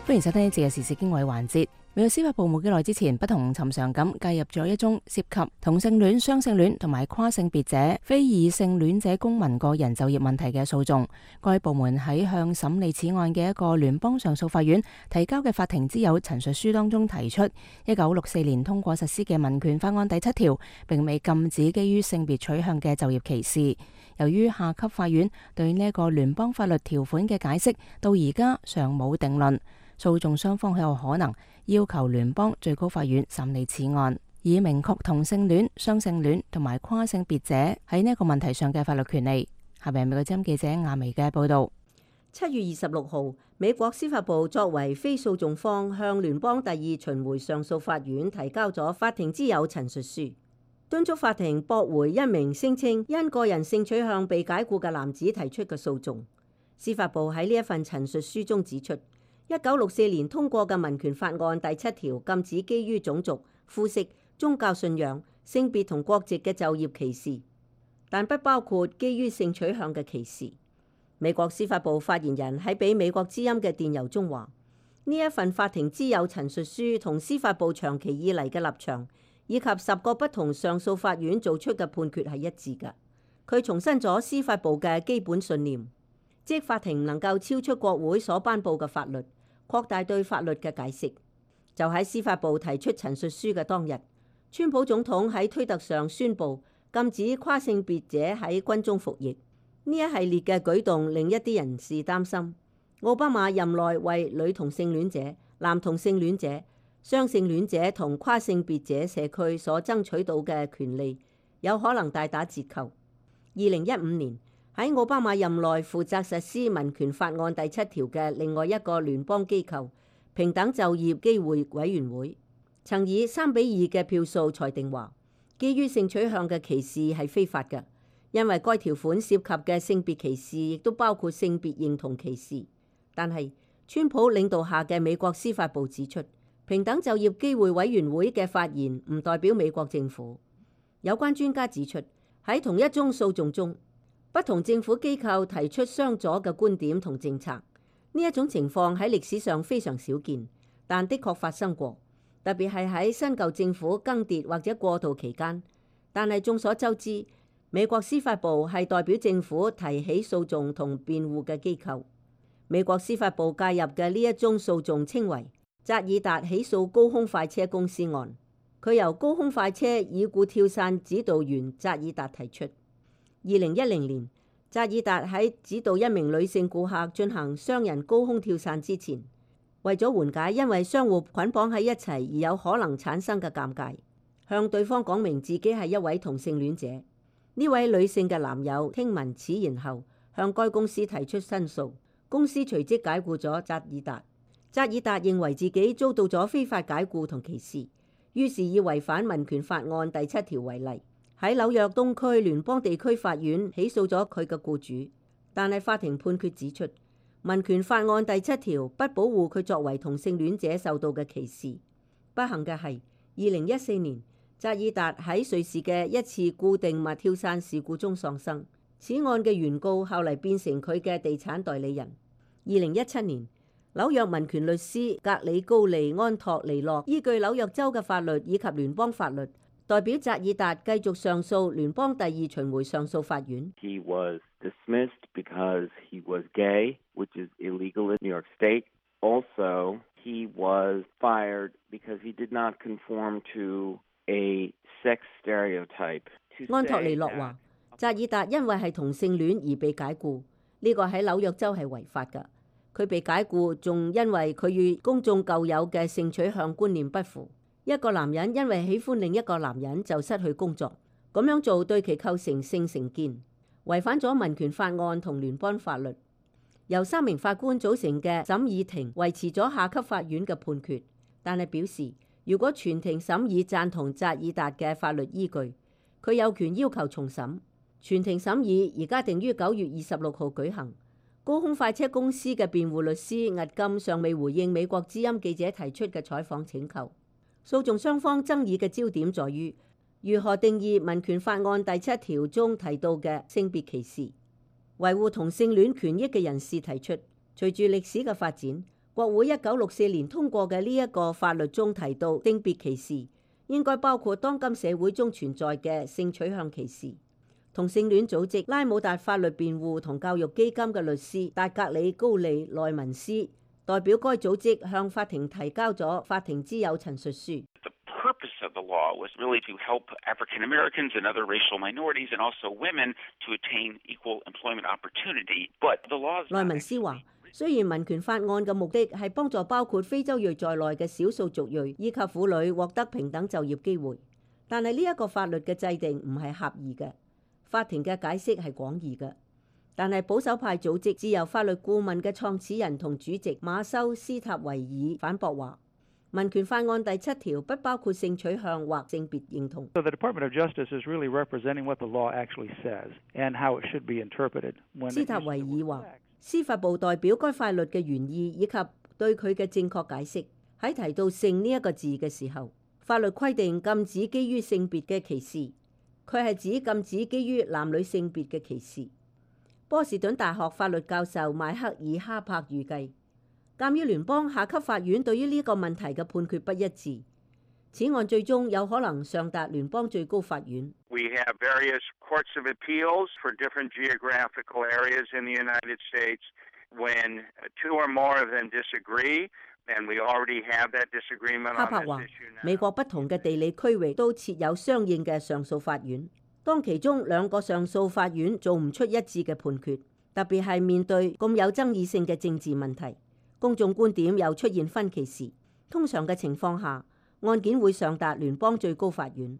歡迎收聽呢節嘅時事經緯環節。美國司法部冇幾耐之前，不同尋常咁介入咗一宗涉及同性戀、雙性戀同埋跨性別者、非異性戀者公民個人就業問題嘅訴訟。該部門喺向審理此案嘅一個聯邦上訴法院提交嘅法庭之友陳述書當中提出，1964年通過實施嘅民權法案第7條並未禁止基於性別取向嘅就業歧視。由於下級法院對呢一個聯邦法律條款嘅解釋到而家尚冇定論，訴訟雙方有可能要求聯邦最高法院審理此案，以明確同性戀、雙性戀同埋跨性別者喺呢一個問題上嘅法律權利。下面係美國之音記者亞薇嘅報道。7月26號，美國司法部作為非訴訟方，向聯邦第2巡迴上訴法院提交咗法庭之友陳述書，敦促法庭駁回一名聲稱因個人性取向被解僱嘅男子提出嘅訴訟。司法部喺呢一份陳述書中指出，1964年通過嘅民權法案第7條禁止基於種族、膚色、宗教信仰、性別同國籍嘅就業歧視，但不包括基於性取向嘅歧視。美國司法部發言人喺俾美國之音嘅電郵中話，呢一份法庭之友陳述書同司法部長期以嚟嘅立場，以及10個不同上訴法院做出嘅判決係一致嘅。佢重申咗司法部嘅基本信念，即法庭唔能夠超出國會所頒布嘅法律，擴大對法律嘅解釋。就喺司法部提出陳述書嘅當日，川普總統喺推特上宣布禁止跨性別者喺軍中服役。呢一系列嘅舉動令一啲人士擔心，奧巴馬任內為女同性戀者、男同性戀者、雙性戀者同跨性別者社區所爭取到嘅權利有可能大打折扣。2015年喺奧巴馬任內負責實施民權法案第7條嘅另外一個聯邦機構平等就業機會委員會，曾以3-2嘅票數裁定話，基於性取向嘅歧視係非法嘅，因為該條款涉及嘅性別歧視亦都包括性別認同歧視。但係川普領導下嘅美國司法部指出，平等就業機會委員會嘅發言唔代表美國政府。有關專家指出，喺同一宗訴訟中，不同政府機構提出相左嘅觀點同政策，呢一種情況喺歷史上非常少見，但的確發生過，特別係喺新舊政府更迭或者過渡期間。但係眾所周知，美國司法部係代表政府提起訴訟同辯護嘅機構。美國司法部介入嘅呢一宗訴訟稱為扎爾達起訴高空快車公司案，佢由高空快車已故跳傘指導員扎爾達提出。2010年，扎爾達喺指導一名女性顧客進行雙人高空跳傘之前，為咗緩解因為相互捆綁喺一齊而有可能產生嘅尷尬，向對方講明自己係一位同性戀者。呢位女性嘅男友聽聞此言後，向該公司提出申訴，公司隨即解僱咗扎爾達。扎爾達認為自己遭到咗非法解僱同歧視，於是以違反民權法案第7條為例，喺紐約東區聯邦地區法院起訴咗佢嘅僱主。但係法庭判決指出，民權法案第7條不保護佢作為同性戀者受到嘅歧視。不幸嘅係，2014年扎爾達喺瑞士嘅一次固定物跳傘事故中喪生。此案嘅原告後嚟變成佢嘅地產代理人。2017年，紐約民權律師格里高利安托尼諾依據紐約州嘅法律以及聯邦法律，代表扎爾達繼續上訴聯邦第2巡迴上訴法院。He was dismissed because he was gay, which is illegal in New York State. Also, he was fired because he did not conform to a sex stereotype. 安托尼諾話，扎爾達因為係同性戀而被解僱，呢個喺紐約州係違法㗎。佢被解僱仲因為佢與公眾舊有嘅性取向觀念不符。一個男人因為喜歡另一個男人就失去工作，咁樣做對其構成性成見，違反咗民權法案同聯邦法律。由3名法官組成嘅審議庭維持咗下級法院嘅判決，但係表示如果全庭審議贊同扎爾達嘅法律依據，佢有權要求重審。全庭審議而家定於9月26號舉行。高空快車公司嘅辯護律師押金尚未回應美國之音記者提出嘅採訪請求。訴訟雙方爭議嘅焦點在於如何定義民權法案第7條中提到嘅性別歧視。維護同性戀權益嘅人士提出，隨住歷史嘅發展，國會1964年通過嘅呢一個法律中提到性別歧視，應該包括當今社會中存在嘅性取向歧視。同性戀組織拉姆達法律辯護同教育基金嘅律師達格里高利內文斯代表該組織向法庭提交咗法庭之友陳述書。purpose of the law was really to help African Americans and other racial minorities and also women to attain equal employment opportunity. But the law is 內文斯話，雖然民權法案嘅目的係幫助包括非洲裔在內嘅少數族裔以及婦女獲得平等就業機會，但係呢一個法律嘅制定唔係狹義嘅。法庭嘅解釋係廣義嘅，但係保守派組織自由法律顧問嘅創始人同主席馬修斯塔維爾反駁話，民權法案第7條不包括性取向或性別認同。So the Department of Justice is really representing what the law actually says and how it should be interpreted. 斯塔維爾話，司法部代表該法律嘅原意以及對佢嘅正確解釋。喺提到性呢一個字嘅時候，法律規定禁止基於性別嘅歧視。佢係指禁止基於男女性別嘅歧視。波士頓大學法律教授邁克爾哈柏預計，鑑於聯邦下級法院對於呢個問題嘅判決不一致，此案最終有可能上達聯邦最高法院。We have various courts of appeals for different geographical areas in the United States. When two or more of them disagree, and we already have that disagreement on this issue now. 美國不同嘅地理區域都設有相應嘅上訴法院。當其中2個上訴法院做唔出一致嘅判決，特別係面對咁有爭議性嘅政治問題，公眾觀點又出現分歧時，通常嘅情況下，案件會上達聯邦最高法院。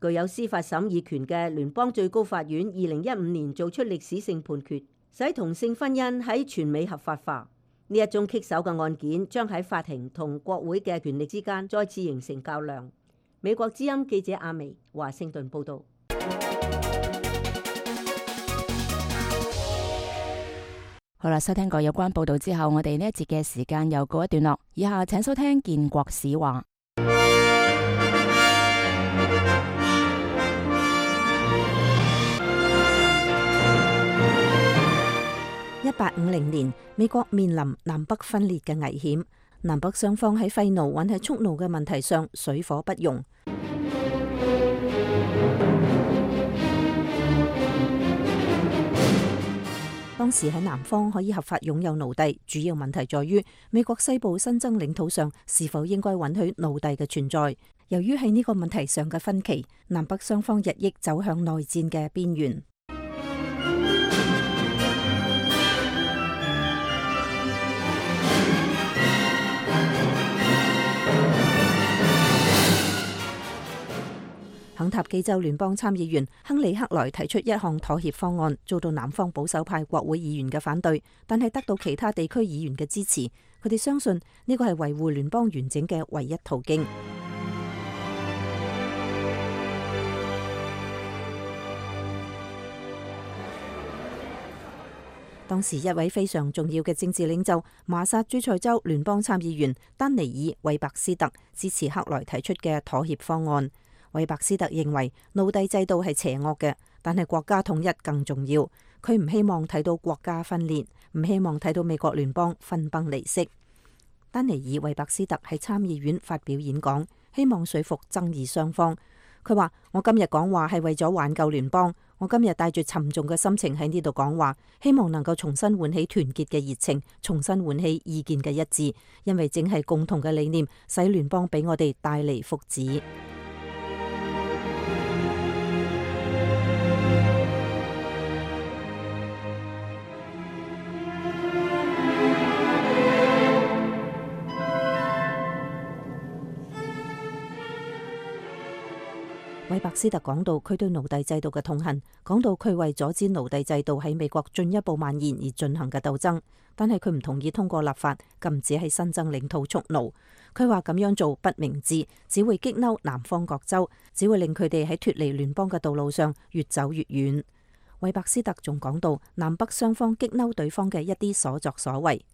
具有司法審議權嘅聯邦最高法院2015年做出歷史性判決，使同性婚姻喺全美合法化。呢一宗棘手嘅案件將喺法庭同國會嘅權力之間再次形成較量。美國之音記者阿薇華盛頓報導。好啦，收聽過有關報導之後，我哋呢一節嘅時間又告一段落。以下請收聽建國史話。1850年，美國面臨南北分裂嘅危險，南北雙方喺廢奴還係蓄奴嘅問題上水火不容。當時喺南方可以合法擁有奴隸，主要問題在於美國西部新增領土上是否應該允許奴隸嘅存在。由於喺呢個問題上嘅分歧，南北雙方日益走向內戰嘅邊緣。肯塔基州聯邦參議員亨利克萊提出一項妥協方案，遭到南方保守派國會議員嘅反對，但係得到其他地區議員嘅支持。佢哋相信呢個係維護聯邦完整嘅唯一途徑。當時一位非常重要嘅政治領袖馬薩諸塞州聯邦參議員丹尼爾韋伯斯特支持克萊提出嘅妥協方案。韋伯斯特認為奴隸制度係邪惡嘅，但係國家統一更重要。佢唔希望睇到國家分裂，唔希望睇到美國聯邦分崩離析。丹尼爾韋伯斯特喺參議院發表演講，希望說服爭議雙方。佢話：我今日講話係為咗挽救聯邦，我今日帶住沉重嘅心情喺呢度講話，希望能夠重新喚起團結嘅熱情，重新喚起意見嘅一致，因為正係共同嘅理念使聯邦俾我哋帶嚟福祉。韋伯斯特講到佢對奴隸制度嘅痛恨，講到佢為阻止奴隸制度喺美國進一步蔓延而進行嘅鬥爭，但係佢唔同意通過立法禁止喺新增領土蓄奴。佢話咁樣做不明智，只會激嬲南方各州，只會令佢哋喺脫離聯邦嘅道路上越走越遠。韋伯斯特仲講到南北雙方激嬲對方嘅一啲所作所為。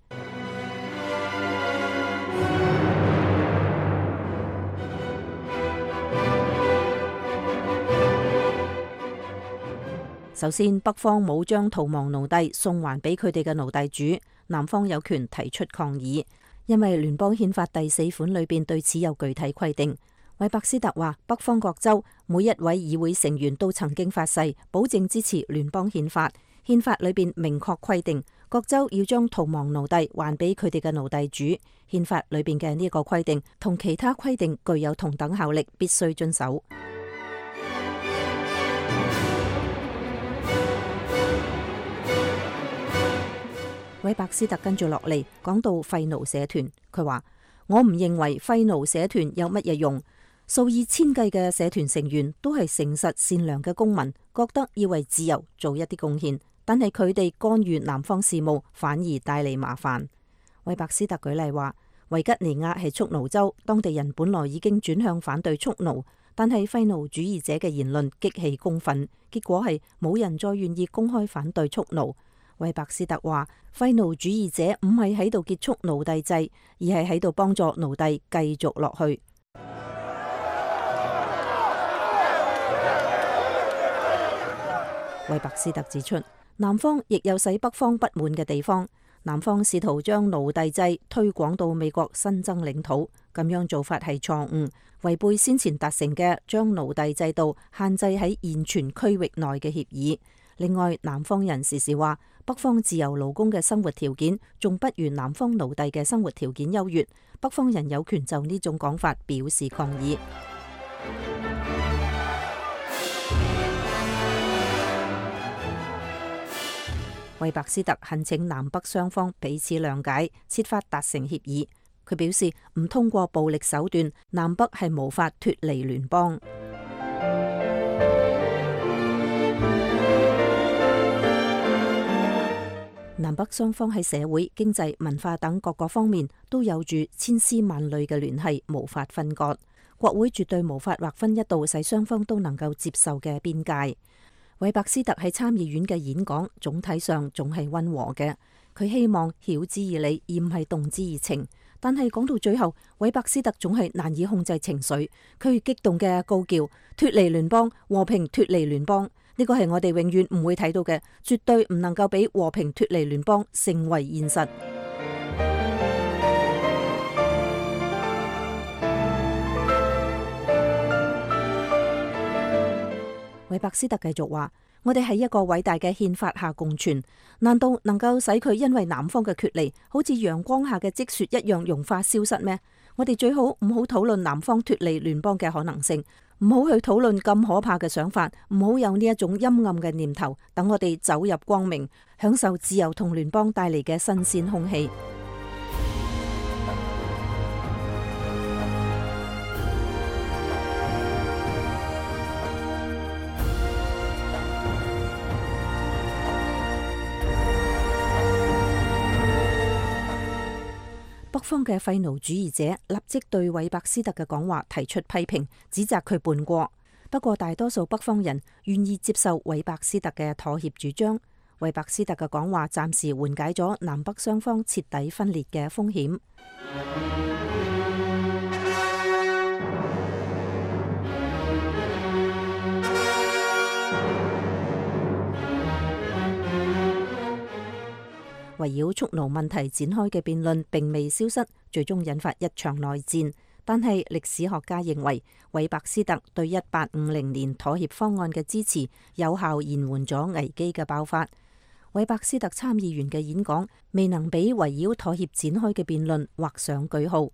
首先，北方冇將逃亡奴隸送還俾佢哋嘅奴隸主，南方有權提出抗議，因為聯邦憲法第4款裏邊對此有具體規定。韋伯斯特話，北方各州每一位議會成員都曾經發誓保證支持聯邦憲法，憲法裏邊明確規定各州要將逃亡奴隸還俾佢哋嘅奴隸主。憲法裏邊嘅呢個規定同其他規定具有同等效力，必須遵守。韋伯斯特跟住落嚟講到廢奴社團，佢話，我唔認為廢奴社團有乜嘢用，數以千計嘅社團成員都係誠實善良嘅公民，覺得要為自由做一啲貢獻，但係佢哋干預南方事務反而帶嚟麻煩。韋伯斯特舉例話，維吉尼亞係蓄奴州，當地人本來已經轉向反對蓄奴，但係廢奴主義者嘅言論激起公憤，結果係冇人再願意公開反對蓄奴。韋伯斯特話，廢奴主義者唔係喺度結束奴隸制，而係喺度幫助奴隸繼續落去。韋伯斯特指出，南方亦有使北方不滿嘅地方。南方試圖將奴隸制推廣到美國新增領土，咁樣做法係錯誤，違背先前達成嘅將奴隸制度限制喺現存區域內嘅協議。另外，南方人時時話北方自由勞工嘅生活條件仲不如南方奴隸嘅生活條件優越，北方人有權就呢種講法表示抗議。韋伯斯特懇請南北雙方彼此諒解，設法達成協議。佢表示唔通過暴力手段，南北係無法脫離聯邦。南北雙方喺社會、經濟、文化等各個方面都有住千絲萬縷嘅聯繫，無法分割。國會絕對無法劃分一道使雙方都能夠接受嘅邊界。韋伯斯特喺參議院嘅演講總體上仲係溫和嘅，佢希望曉之以理而唔係動之以情。但係講到最後，韋伯斯特總係難以控制情緒，佢激動嘅高叫：脫離聯邦，和平脫離聯邦！呢個係我哋永遠唔會睇到嘅，絕對唔能夠俾和平脫離聯邦成為現實。韋伯斯特繼續話：我哋喺一個偉大嘅憲法下共存，難道能夠使佢因為南方嘅決離，好似陽光下嘅積雪一樣融化消失咩？我哋最好唔好討論南方脫離聯邦嘅可能性，唔好去討論咁可怕嘅想法，唔好有呢一種陰暗嘅念頭。等我哋走入光明，享受自由同聯邦帶嚟嘅新鮮空氣。北方嘅廢奴主義者立即對韋伯斯特嘅講話提出批評，指責佢叛國。不過大多數北方人願意接受韋伯斯特嘅妥協主張。韋伯斯特嘅講話暫時緩解咗南北雙方徹底分裂嘅風險。圍繞蓄奴問題展開嘅辯論並未消失，最終引發一場內戰。但係歷史學家認為，韋伯斯特對1850年妥協方案嘅支持，有效延緩咗危機嘅爆發。韋伯斯特參議員嘅演講未能俾圍繞妥協展開嘅辯論畫上句號。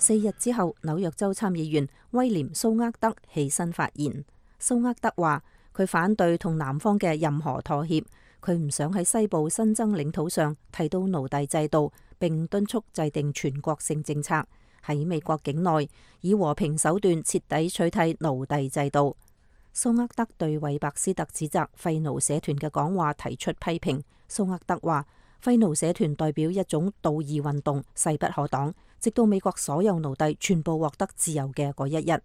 4日之後，紐約州參議員威廉蘇厄德起身發言。蘇厄德話佢反對同南方嘅任何妥協，佢唔想喺西部新增領土上提到奴隸制度，並敦促制定全國性政策，喺美國境內以和平手段徹底取締奴隸制度。蘇厄德對韋伯斯特指責廢奴社團嘅講話提出批評。蘇厄德話廢奴社團代表一種道義運動，勢不可擋，直到美國所有奴隸全部獲得自由嘅嗰一日。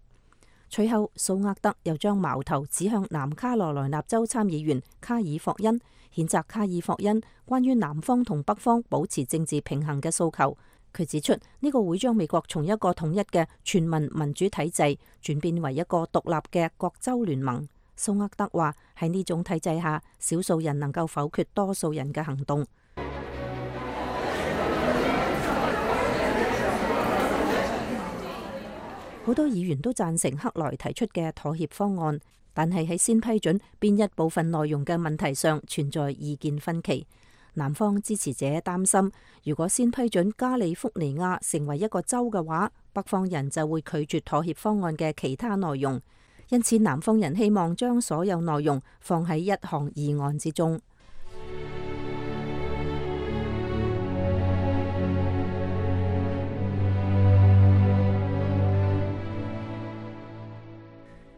隨後，蘇厄德又將矛頭指向南卡羅來納州參議員卡爾霍恩，譴責卡爾霍恩關於南方同北方保持政治平衡嘅訴求。佢指出呢個會將美國從一個統一嘅全民民主體制轉變為一個獨立嘅各州聯盟。蘇厄德話喺呢種體制下，少數人能夠否決多數人嘅行動。好多議員都贊成克萊提出嘅妥協方案，但係喺先批准邊一部分內容嘅問題上存在意見分歧。南方支持者擔心，如果先批准加利福尼亞成為一個州嘅話，北方人就會拒絕妥協方案嘅其他內容。因此，南方人希望將所有內容放喺一項議案之中。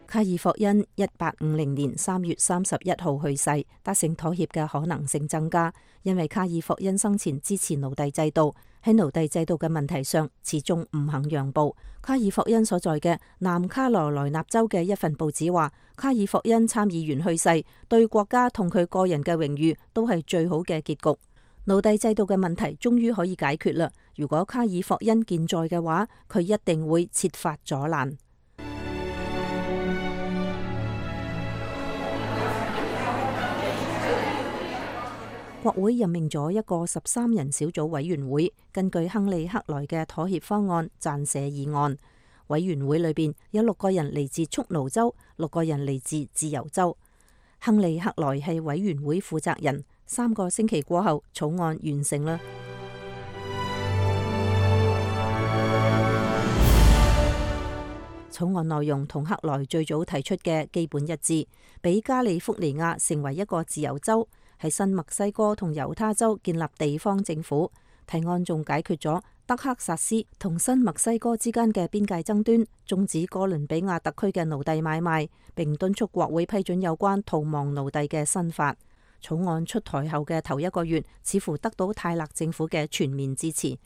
卡爾霍恩1850年3月31號去世，達成妥協嘅可能性增加，因為卡爾霍恩生前支持奴隸制度，喺奴隸制度嘅問題上始終唔肯讓步。卡爾霍恩所在嘅南卡羅來納州嘅一份報紙話，卡爾霍恩參議員去世，對國家同佢個人嘅榮譽都係最好嘅結局。奴隸制度嘅問題終於可以解決啦！如果卡爾霍恩健在嘅話，佢一定會設法阻攔。國會任命咗一個13人小組委員會，根據亨利克萊嘅妥協方案撰寫議案。委員會裏邊有6個人嚟自蓄奴州，6個人嚟自自由州。亨利克萊係委員會負責人。3個星期過後，草案完成啦。草案內容同克萊最早提出嘅基本一致，俾加利福尼亞成為一個自由州。喺新墨西哥同猶他州建立地方政府。提案仲解決咗德克薩斯同新墨西哥之間嘅邊界爭端，終止哥倫比亞特區嘅奴隸買賣，並敦促國會批准有關逃亡奴隸嘅新法。草案出台後嘅頭1個月，似乎得到泰勒政府嘅全面支持。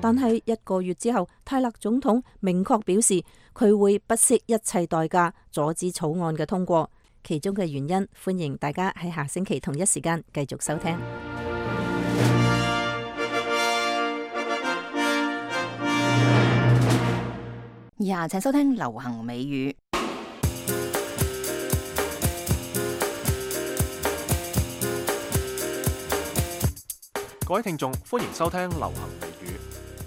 但係1個月之後，泰勒總統明確表示佢會不惜一切代價阻止草案嘅通過。其中嘅原因，歡迎大家喺下星期同一時間繼續收聽。以下請收聽流行美語。各位聽眾，歡迎收聽流行美語。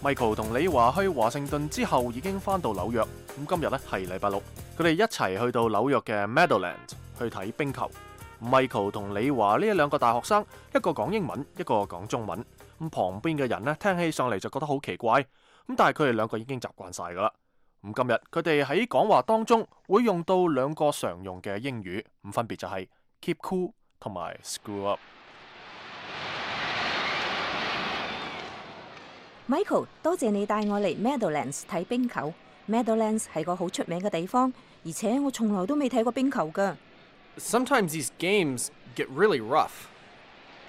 Michael 同李華去華盛頓之後已經返到紐約，咁今日呢係禮拜6，佢哋一齊去到紐約嘅 Meadowlands 去睇冰球。Michael 同李華呢2個大學生，一個講英文，一個講中文。咁旁邊嘅人呢，聽起上嚟就覺得好奇怪，咁但係佢哋2個已經習慣晒噶啦。咁今日佢哋喺講話當中會用到2個常用嘅英語，咁分別就係 keep cool 同埋 screw up。Michael， 多謝你帶我嚟 Meadowlands 睇冰球。Meadowlands 係個好出名嘅地方，而且我從來都未睇過冰球㗎。Sometimes these games get really rough。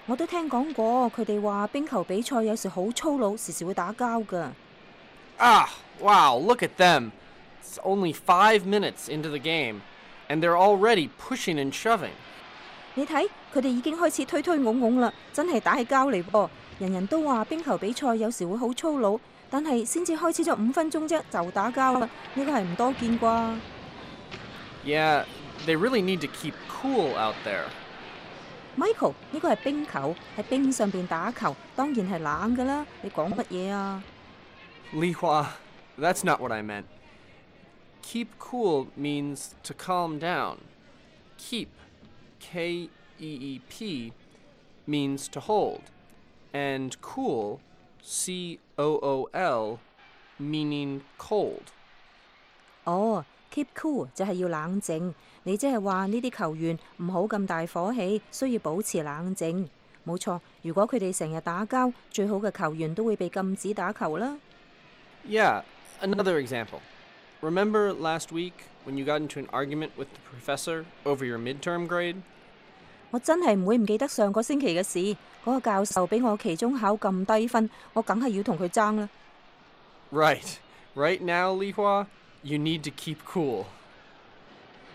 我都聽講過，佢哋話冰球比賽有時好粗魯，時時會打交㗎。Wow, look at them. It's only 5 minutes into the game, and they're already pushing and shoving. 你睇，佢哋已經開始推推拱拱啦，真係打起交嚟噃。人人都話冰球比賽有時會好粗魯，但係先至開始咗5分鐘啫，就打交啦，呢個係唔多見啩。Yeah, they really need to keep cool out there. Michael， 呢個係冰球，喺冰上邊打球，當然係冷噶啦。你講乜嘢啊？Li Hua, that's not what I meant. keep cool means to calm down. Keep, K-E-E-P, means to hold. And cool, C-O-O-L, meaning cold. 哦，keep cool 就係要冷靜。你即係話呢啲球員唔好咁大火氣，需要保持冷靜。冇錯，如果佢哋成日打交，最好嘅球員都會被禁止打球啦。Yeah, another example. Remember last week when you got into an argument with the professor over your midterm grade? 我真係唔會唔記得上個星期嘅事。嗰個教授俾我期中考咁低分，我梗係要同佢爭啦。Right. Right now, Li Hua, you need to keep cool.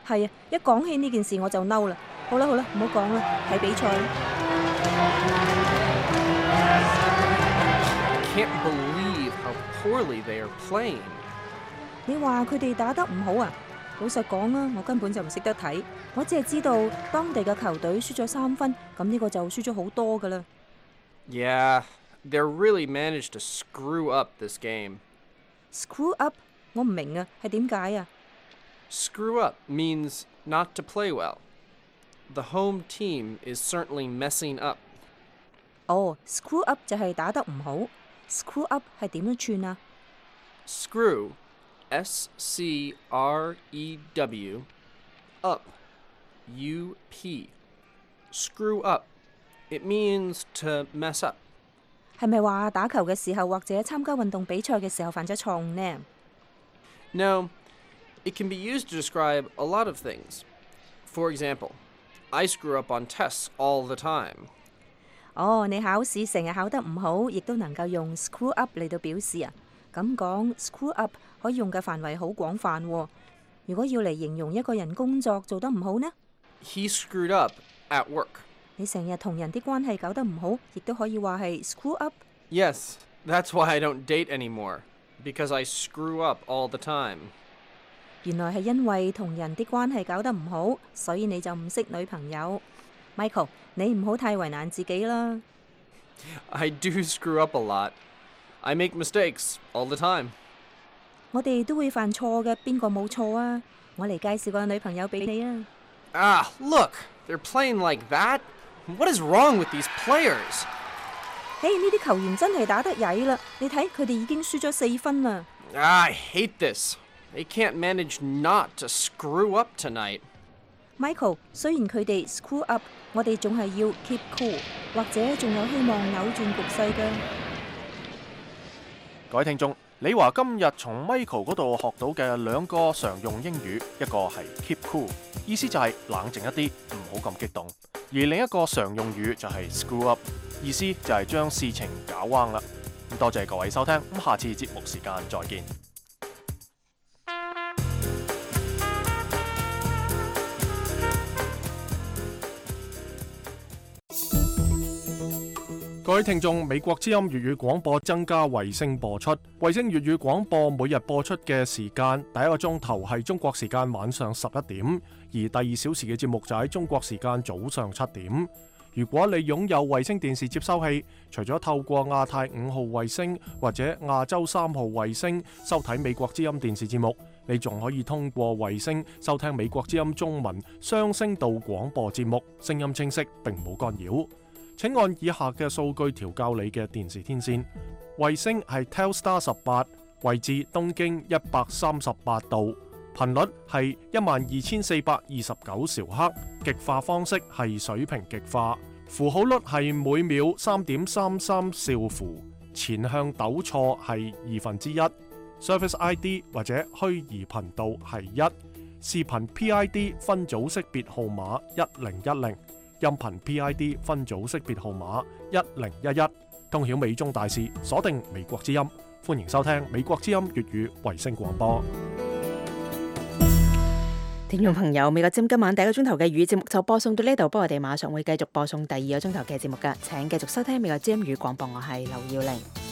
係啊，一講起呢件事我就嬲啦。好啦，唔好講啦，睇比賽啦。I can't believe how poorly they are playing. 你話佢哋打得唔好啊？老實講啊，我根本就唔識得睇，我只係知道當地嘅球隊輸咗3分，咁呢個就輸咗好多噶啦。Yeah, they really managed to screw up this game. Screw up？ 我唔明啊，係點解啊？ Screw up means not to play well. The home team is certainly messing up. 哦 ，screw up 就係打得唔好。Screw up 係點樣串啊 Screw, S-C-R-E-W, up, U-P. Screw up. It means to mess up. 係咪話打球嘅時候或者參加運動比賽嘅時候犯咗錯誤呢？ No, it can be used to describe a lot of things. For example, I screw up on tests all the time. 哦，你考試成日考得唔好，亦都能夠用 screw up 嚟到表示啊。咁講 screw up 可以用嘅範圍好廣泛喎。如果要嚟形容一個人工作做得唔好呢？ He screwed up at work. 你成日同人啲關係搞得唔好，亦都可以話係 screw up。 Yes, that's why I don't date anymore, because I screw up all the time. 原來係因為同人啲關係搞得唔好，所以你就唔識女朋友。Michael， 你唔好太為難自己啦。I do screw up a lot. I make mistakes all the time. 我哋都會犯錯嘅，邊個冇錯啊？我嚟介紹個女朋友俾你啊。Ah, look, they're playing like that? What is wrong with these players? 嘿，呢啲球員真係打得曳啦！你睇佢哋已經輸咗4分啦。I hate this. They can't manage not to screw up tonight. Michael， 雖然佢哋 screw up， 我哋仲係要 keep cool， 或者仲有希望扭轉局勢㗎。各位聽眾，李華今日從 Michael 嗰度學到嘅2個常用英語，一個係 keep cool， 意思就係冷靜一啲，唔好咁激動；而另一個常用語就係 screw up， 意思就係將事情搞彎啦。多謝各位收聽，下次節目時間再見。各位聽眾，美國之音粵語廣播增加衛星播出。衛星粵語廣播每日播出嘅時間，第一個鐘頭係中國時間晚上11點，而第2小時嘅節目就喺中國時間早上7點。如果你擁有衛星電視接收器，除咗透過亞太5號衛星或者亞洲3號衛星收睇美國之音電視節目，你仲可以通過衛星收聽美國之音中文雙聲道廣播節目，聲音清晰並冇干擾。請按以下嘅數據調校你嘅電視天線。衛星係 Telstar 18，位置東經138度，頻率係12429兆赫，極化方式係水平極化，符號率係每秒3.33兆符，前向抖錯係1/2， Service ID 或者虛擬頻道係1，視頻 PID 分組識別號碼1010。音頻 PID 分組識別號碼1011，通曉美中大事，鎖定美國之音，歡迎收聽美國之音粵語衛星廣播。聽眾朋友，美國之音今晚第一個鐘頭嘅粵語節目就播送到呢度，不過我哋馬上會繼續播送第2個鐘頭嘅節目㗎，請繼續收聽美國之音粵語廣播，我係劉耀玲。